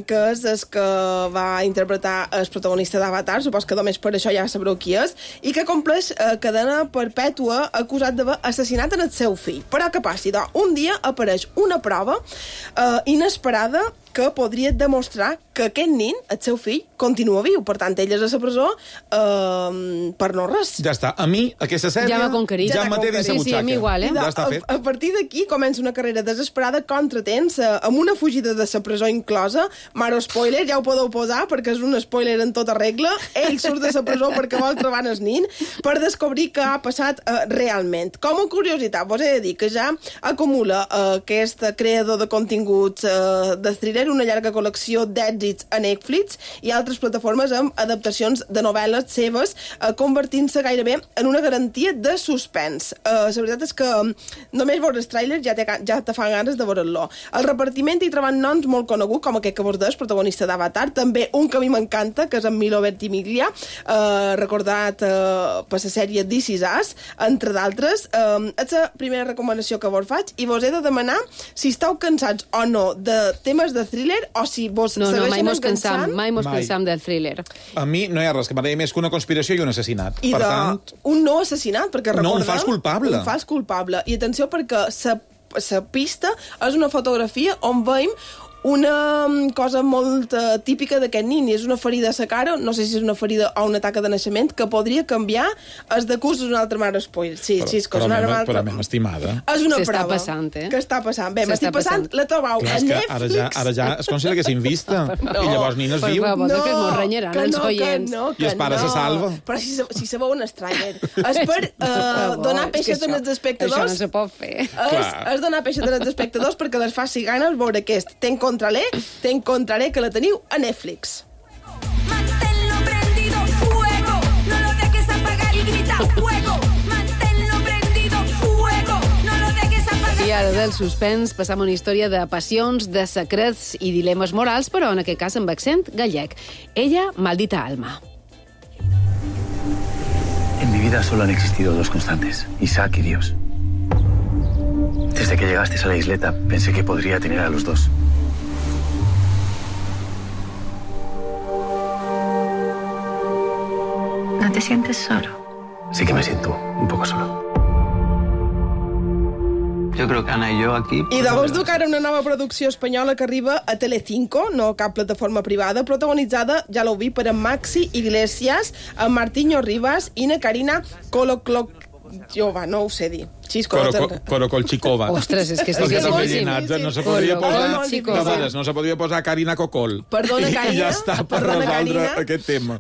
que és el que va interpretar el protagonista d'Avatar, supos que només per això ja sabreu qui és, i que compleix cadena perpètua acusat d'haver assassinat en el seu fill. Però què passi? Un dia apareix una prova inesperada que podria demostrar que aquest nin, el seu fill, continua viu. Per tant, ell és a la presó per no res. Ja està. A mi, aquesta sèrie... Ja m'ha conquerit. Ja m'ha té dins la butxaca. Sí, a mi igual, Ja està fet. A partir d'aquí comença una carrera desesperada contra temps, amb una fugida de la presó inclosa. Mare spoiler, ja ho podeu posar, perquè és un spoiler en tota regla. Ell surt de la presó perquè vol trobar el nin, per descobrir què ha passat realment. Com a curiositat, vos he de dir que ja acumula aquest creador de continguts de thriller una llarga col·lecció d'èxits a Netflix i altres plataformes amb adaptacions de novel·les seves, convertint-se gairebé en una garantia de suspens. La veritat és que només veure el tràiler ja te fa ganes de veure-lo. El repartiment hi troben noms molt coneguts, com aquest que vos des, protagonista d'Avatar, també un que a mi m'encanta, que és en Milo Ventimiglia, recordat per la sèrie This Is Us, entre d'altres. És la primera recomanació que vos faig i vos he de demanar si esteu cansats o no de temes de thriller o si vos segueixen enganxant. Mai mos cansam del thriller. A mi no hi ha res que m'agradi més que una conspiració i un assassinat. I un no assassinat, perquè recordeu... No, un fals culpable. Un fals culpable. I atenció, perquè la pista és una fotografia on veiem una cosa molt típica d'aquest nin, és una ferida a la cara, no sé si és una ferida o una taca de naixement, que podria canviar el de curs d'una altra mare spoil. Sí, però a mi m'estimada. És una prova. Està passant, que està passant. Bé, m'estic passant, la trobau a Netflix. Ara ja és com si l'haguessin vista. I llavors nin es viu. No, que mos renyaran els oients. I el pare se salva. Però si sabeu un tràiler. És per donar peixet als espectadors. Això no se pot fer. És donar peixet als espectadors perquè les faci ganes veure aquest. Te encontraré, que la teniu a Netflix. Manténlo prendido, fuego. No lo dejes apagar y grita fuego. Manténlo prendido, fuego. No lo dejes apagar. I ara del suspens passam a una història de passions, de secrets i dilemes morals, però en aquest cas amb accent gallec. Ella, maldita alma. En mi vida solo han existido dos constantes, Isaac y Dios. Desde que llegaste a la isleta, pensé que podría tener a los dos. ¿No te sientes solo? Sí que me siento un poco solo. Yo creo que Ana y yo aquí... I de vos dur ara una nova producció espanyola que arriba a Telecinco, no cap plataforma privada, protagonitzada, ja l'heu vist, per en Maxi Iglesias, en Martiño Rivas i na Karina Koloklokova, no ho sé dir. Korokolchikova. Ostres, és que és difícil. No se podria posar... No se podria posar Karina Kokol. Perdona, Karina. I ja està, per resoldre aquest tema.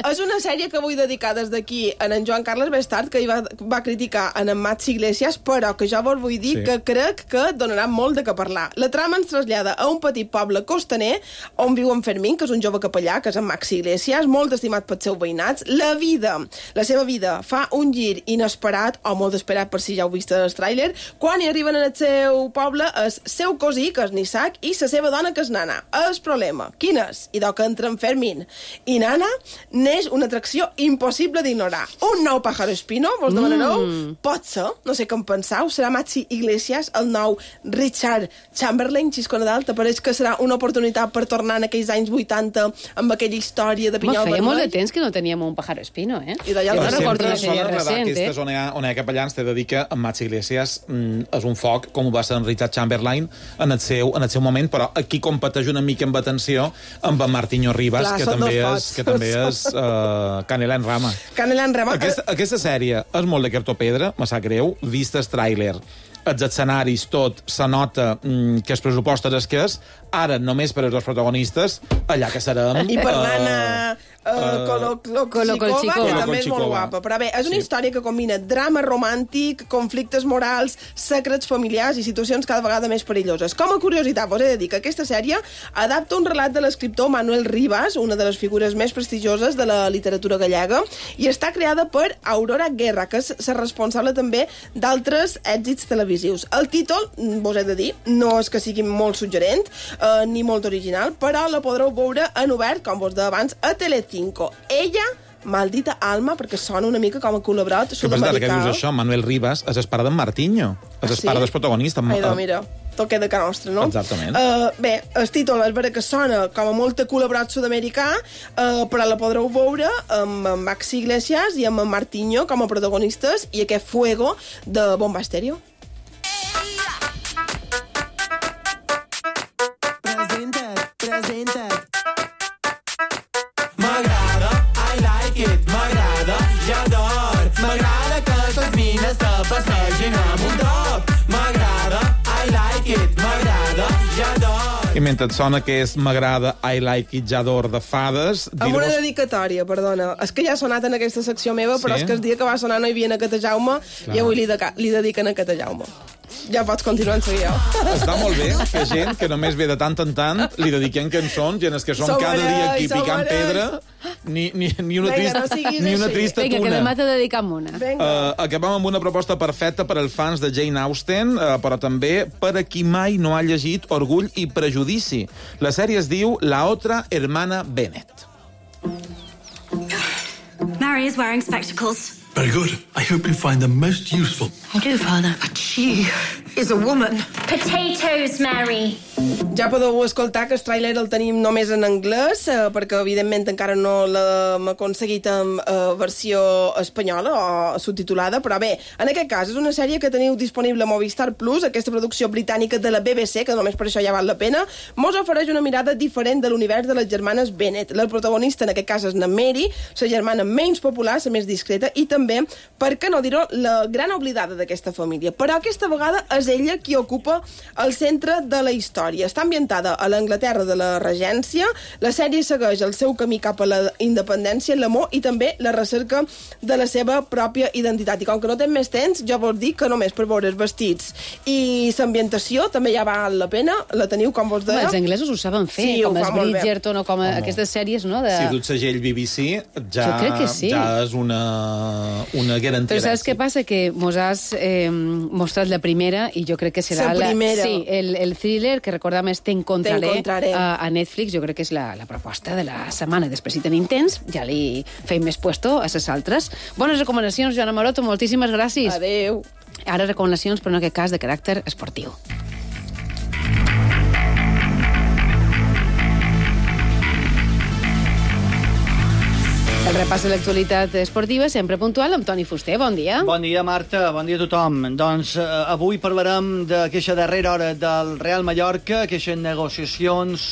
És una sèrie que vull dedicar des d'aquí a en Joan Carles Bestart, que hi va criticar en Maxi Iglesias, però que jo vos vull dir que crec que donarà molt de què parlar. La trama ens trasllada a un petit poble costaner on viu en Fermín, que és un jove capellà, que és en Maxi Iglesias, molt estimat pels seus veïnats. La seva vida fa un gir inesperat, o molt esperat per si ja ho vist el tràiler, quan hi arriben al seu poble el seu cosí, que és Isaac, i la seva dona, que és Nana. El problema, quin és? I que entra en Fermín i Nana, neix una atracció impossible d'ignorar. Un nou pájaro espino, vos demanareu? Pot ser, no sé què en penseu, serà Maxi Iglesias, el nou Richard Chamberlain, Xisco Nadal, t'apareix que serà una oportunitat per tornar en aquells anys 80 amb aquella història de Pinyol Vermell? Feia molt de temps que no teníem un pájaro espino, eh? I d'allà no recordo una sèrie recent, eh? Aquestes on hi ha capellans, t'he de dir que en Maxi Iglesias és un foc, com ho va ser en Richard Chamberlain en el seu moment, però aquí competeix una mica amb atenció amb en Martiño Rivas, que també és Canela en Rama. Canela en Rama. Aquesta sèrie és molt de cartopedra, me sap greu, vist el tràiler, els escenaris, tot, se nota que el pressupost és que és, ara només per als dos protagonistes, allà que serem... I per l'Anna Colo Colchicova, que també és molt guapa. Però bé, és una història que combina drama romàntic, conflictes morals, secrets familiars i situacions cada vegada més perilloses. Com a curiositat, vos he de dir que aquesta sèrie adapta un relat de l'escriptor Manuel Rivas, una de les figures més prestigioses de la literatura gallega, i està creada per Aurora Guerra, que és la responsable també d'altres èxits televisius. El títol, vos he de dir, no és que sigui molt suggerent ni molt original, però la podreu veure en obert, com vos deia abans, a Telecinco. Ella, maldita alma, perquè sona una mica com a col·laborat sud-americà. Que dius això, Manuel Rivas és el pare d'en Martinho, és el pare del protagonista. Ai, mira, toque de ca nostra, no? Exactament. Bé, el títol és vera que sona com a molt col·laborat sud-americà, però la podreu veure amb Maxi Iglesias i amb Martinho com a protagonistes i aquest Fuego de Bomba Estéreo. Presenta't. M'agrada, I like it, m'agrada, j'ador. M'agrada que les mines se passegin amb un top. M'agrada, I like it, m'agrada, j'ador. I mentre et sona que és M'agrada, I like it, j'ador de fades... Amb una dedicatòria, perdona. És que ja ha sonat en aquesta secció meva, però és que el dia que va sonar no hi havia a Cata Jaume i avui li dediquen a Cata Jaume. Ja pots continuar en seguida. Està molt bé que gent que només ve de tant en tant li dediquem cançons i en els que som cada dia aquí picant pedra ni una trista tuna. Vinga, que demà te dedicam una. Acabem amb una proposta perfecta per als fans de Jane Austen, però també per a qui mai no ha llegit Orgull i Prejudici. La sèrie es diu La otra hermana Bennet. Mary is wearing spectacles. Very good. I hope you find them most useful. I do, Father. But she is a woman. Potatoes, Mary. Ja podeu escoltar que el tràiler el tenim només en anglès, perquè evidentment encara no l'hem aconseguit en versió espanyola o subtitulada, però bé, en aquest cas és una sèrie que teniu disponible a Movistar Plus, aquesta producció britànica de la BBC, que només per això ja val la pena, mos ofereix una mirada diferent de l'univers de les germanes Bennet. La protagonista en aquest cas és na Mary, la germana menys popular, la més discreta, i també, per què no dir-ho, la gran oblidada d'aquesta família. Però aquesta vegada és ella qui ocupa el centre de la història. Està ambientada a l'Anglaterra de la Regència. La sèrie segueix el seu camí cap a la independència, l'amor i també la recerca de la seva pròpia identitat. I com que no té més temps, jo vos dic que només per veure els vestits i l'ambientació també ja val la pena. La teniu, com vos deia. Els anglesos ho saben fer, sí, com els Bridgerton o com aquestes sèries, no? Si du el segell BBC, ja és una garantia. Però saps què passa? Que mos has mostrat la primera i jo crec que serà la primera. Sí, el thriller que recordam és Te encontraré a Netflix. Jo crec que és la proposta de la setmana. Després, si tenim temps, ja li feim més puesto a les altres. Bones recomanacions, Joana Maroto, moltíssimes gràcies. Adéu. Ara recomanacions, però en aquest cas de caràcter esportiu. El repàs de l'actualitat esportiva, sempre puntual, amb Toni Fuster. Bon dia. Bon dia, Marta. Bon dia a tothom. Doncs avui parlarem d'aquesta darrera hora del Real Mallorca, aquestes negociacions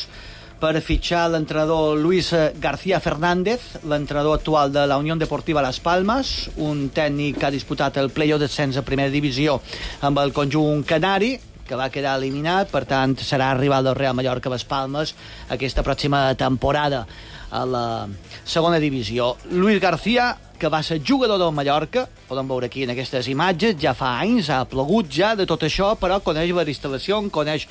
per fitxar l'entrenador Luis García Fernández, l'entrenador actual de la Unión Deportiva Las Palmas, un tècnic que ha disputat el play-off descens a primera divisió amb el conjunt canari, que va quedar eliminat, per tant serà rival del Real Mallorca Las Palmas aquesta pròxima temporada a la segona divisió. Luis García, que va ser jugador del Mallorca, podem veure aquí en aquestes imatges, ja fa anys, ha plogut ja de tot això, però coneix les instal·lacions, coneix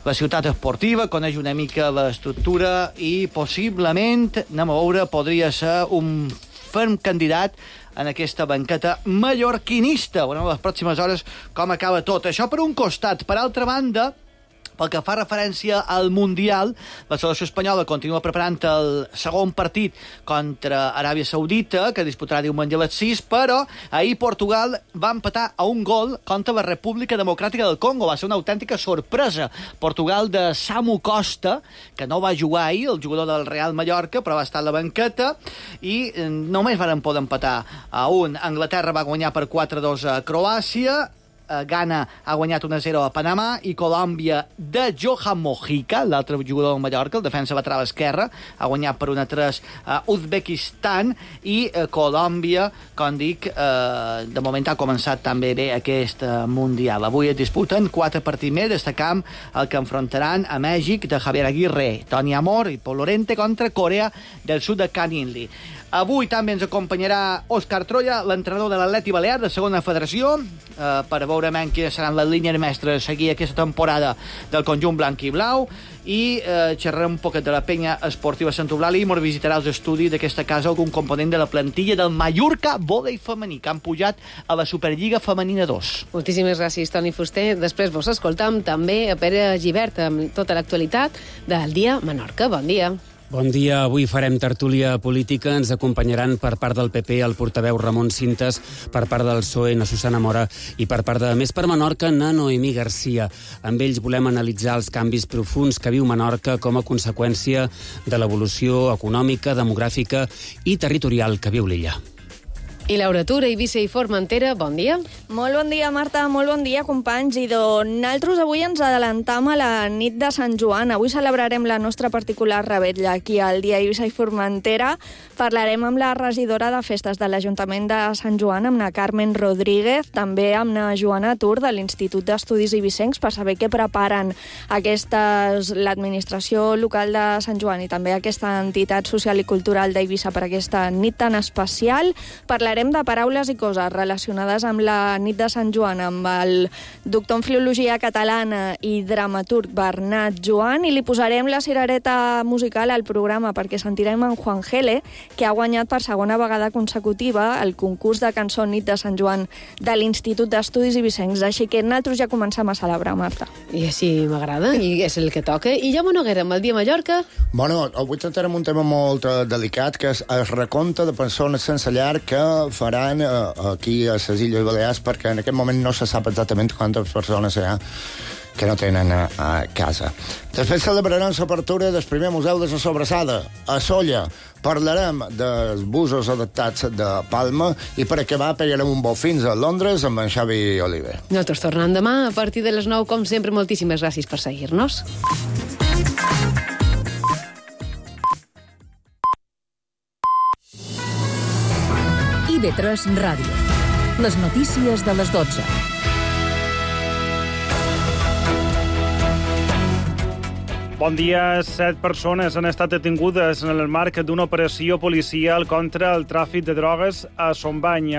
la ciutat esportiva, coneix una mica l'estructura i possiblement, anem a veure, podria ser un ferm candidat en aquesta banqueta mallorquinista. Veurem les pròximes hores com acaba tot això per un costat. Per altra banda, pel que fa referència al Mundial, la selecció espanyola continua preparant el segon partit contra Aràbia Saudita, que disputarà diumenge a les 6, però ahir Portugal va empatar a un gol contra la República Democràtica del Congo. Va ser una autèntica sorpresa. Portugal de Samu Costa, que no va jugar ahir, el jugador del Real Mallorca, però va estar a la banqueta, i només varen poder empatar a un. Anglaterra va guanyar per 4-2 a Croàcia. Ghana ha guanyat 1-0 a Panamà, i Colòmbia de Johan Mojica, l'altre jugador del Mallorca, el defensa lateral esquerre, ha guanyat per 1-3 a Uzbekistan, i Colòmbia, com dic, de moment ha començat també bé aquest Mundial. Avui es disputen 4 partits més, destacam el que enfrontaran a Mèxic de Javier Aguirre, Toni Amor i Pol Lorente contra Corea del Sud de Can Inli. Avui també ens acompanyarà Òscar Troia, l'entrenador de l'Atleti Balear de segona federació, per veure quines seran les línies mestres a seguir aquesta temporada del conjunt blanc i blau, i xerrarem un poquet de la penya esportiva Sant Eulàlia i ens visitarà els estudis d'aquesta casa algun component de la plantilla del Mallorca vòlei femení, que han pujat a la Superliga Femenina 2. Moltíssimes gràcies, Toni Fuster. Després vos escoltam també a Pere Gibert amb tota l'actualitat del Dia Menorca. Bon dia. Bon dia. Avui farem tertúlia política. Ens acompanyaran per part del PP el portaveu Ramon Cintas, per part del PSOE na Susana Mora i per part de Més per Menorca na Noemí Garcia. Amb ells volem analitzar els canvis profuns que viu Menorca com a conseqüència de l'evolució econòmica, demogràfica i territorial que viu l'illa. I Laura Tura, Eivissa i Formentera, bon dia. Molt bon dia, Marta, molt bon dia, companys. I nosaltres avui ens adelantam a la nit de Sant Joan. Avui celebrarem la nostra particular revetlla aquí al dia Eivissa i Formentera. Parlarem amb la regidora de festes de l'Ajuntament de Sant Joan, amb la Carmen Rodríguez, també amb la Joana Tur de l'Institut d'Estudis Eivissencs, per saber què preparen l'administració local de Sant Joan i també aquesta entitat social i cultural d'Eivissa per aquesta nit tan especial. Parlarem de paraules i coses relacionades amb la nit de Sant Joan amb el doctor en Filologia Catalana i dramaturg Bernat Joan, i li posarem la cirereta musical al programa perquè sentirem en Juan Gele, que ha guanyat per segona vegada consecutiva el concurs de cançó Nit de Sant Joan de l'Institut d'Estudis Eivissencs. Així que nosaltres ja comencem a celebrar, Marta. I així m'agrada, i és el que toca. I Jaume Noguera, amb el Dia Mallorca? Bueno, avui tractarem un tema molt delicat, que és el recompte de persones sense llar que faran aquí a les Illes Balears, perquè en aquest moment no se sap exactament quantes persones hi ha que no tenen a casa. Després celebrarem l'apertura del primer museu de la Sobrassada, a Sóller. Parlarem dels busos adaptats de Palma i per acabar pegarem un vol fins a Londres amb en Xavi Oliver. Nosaltres tornem demà a partir de les 9, com sempre. Moltíssimes gràcies per seguir-nos. IB3 Ràdio. Les notícies de les 12. Bon dia. 7 persones han estat detingudes en el marc d'una operació policial contra el tràfic de drogues a Son Bany.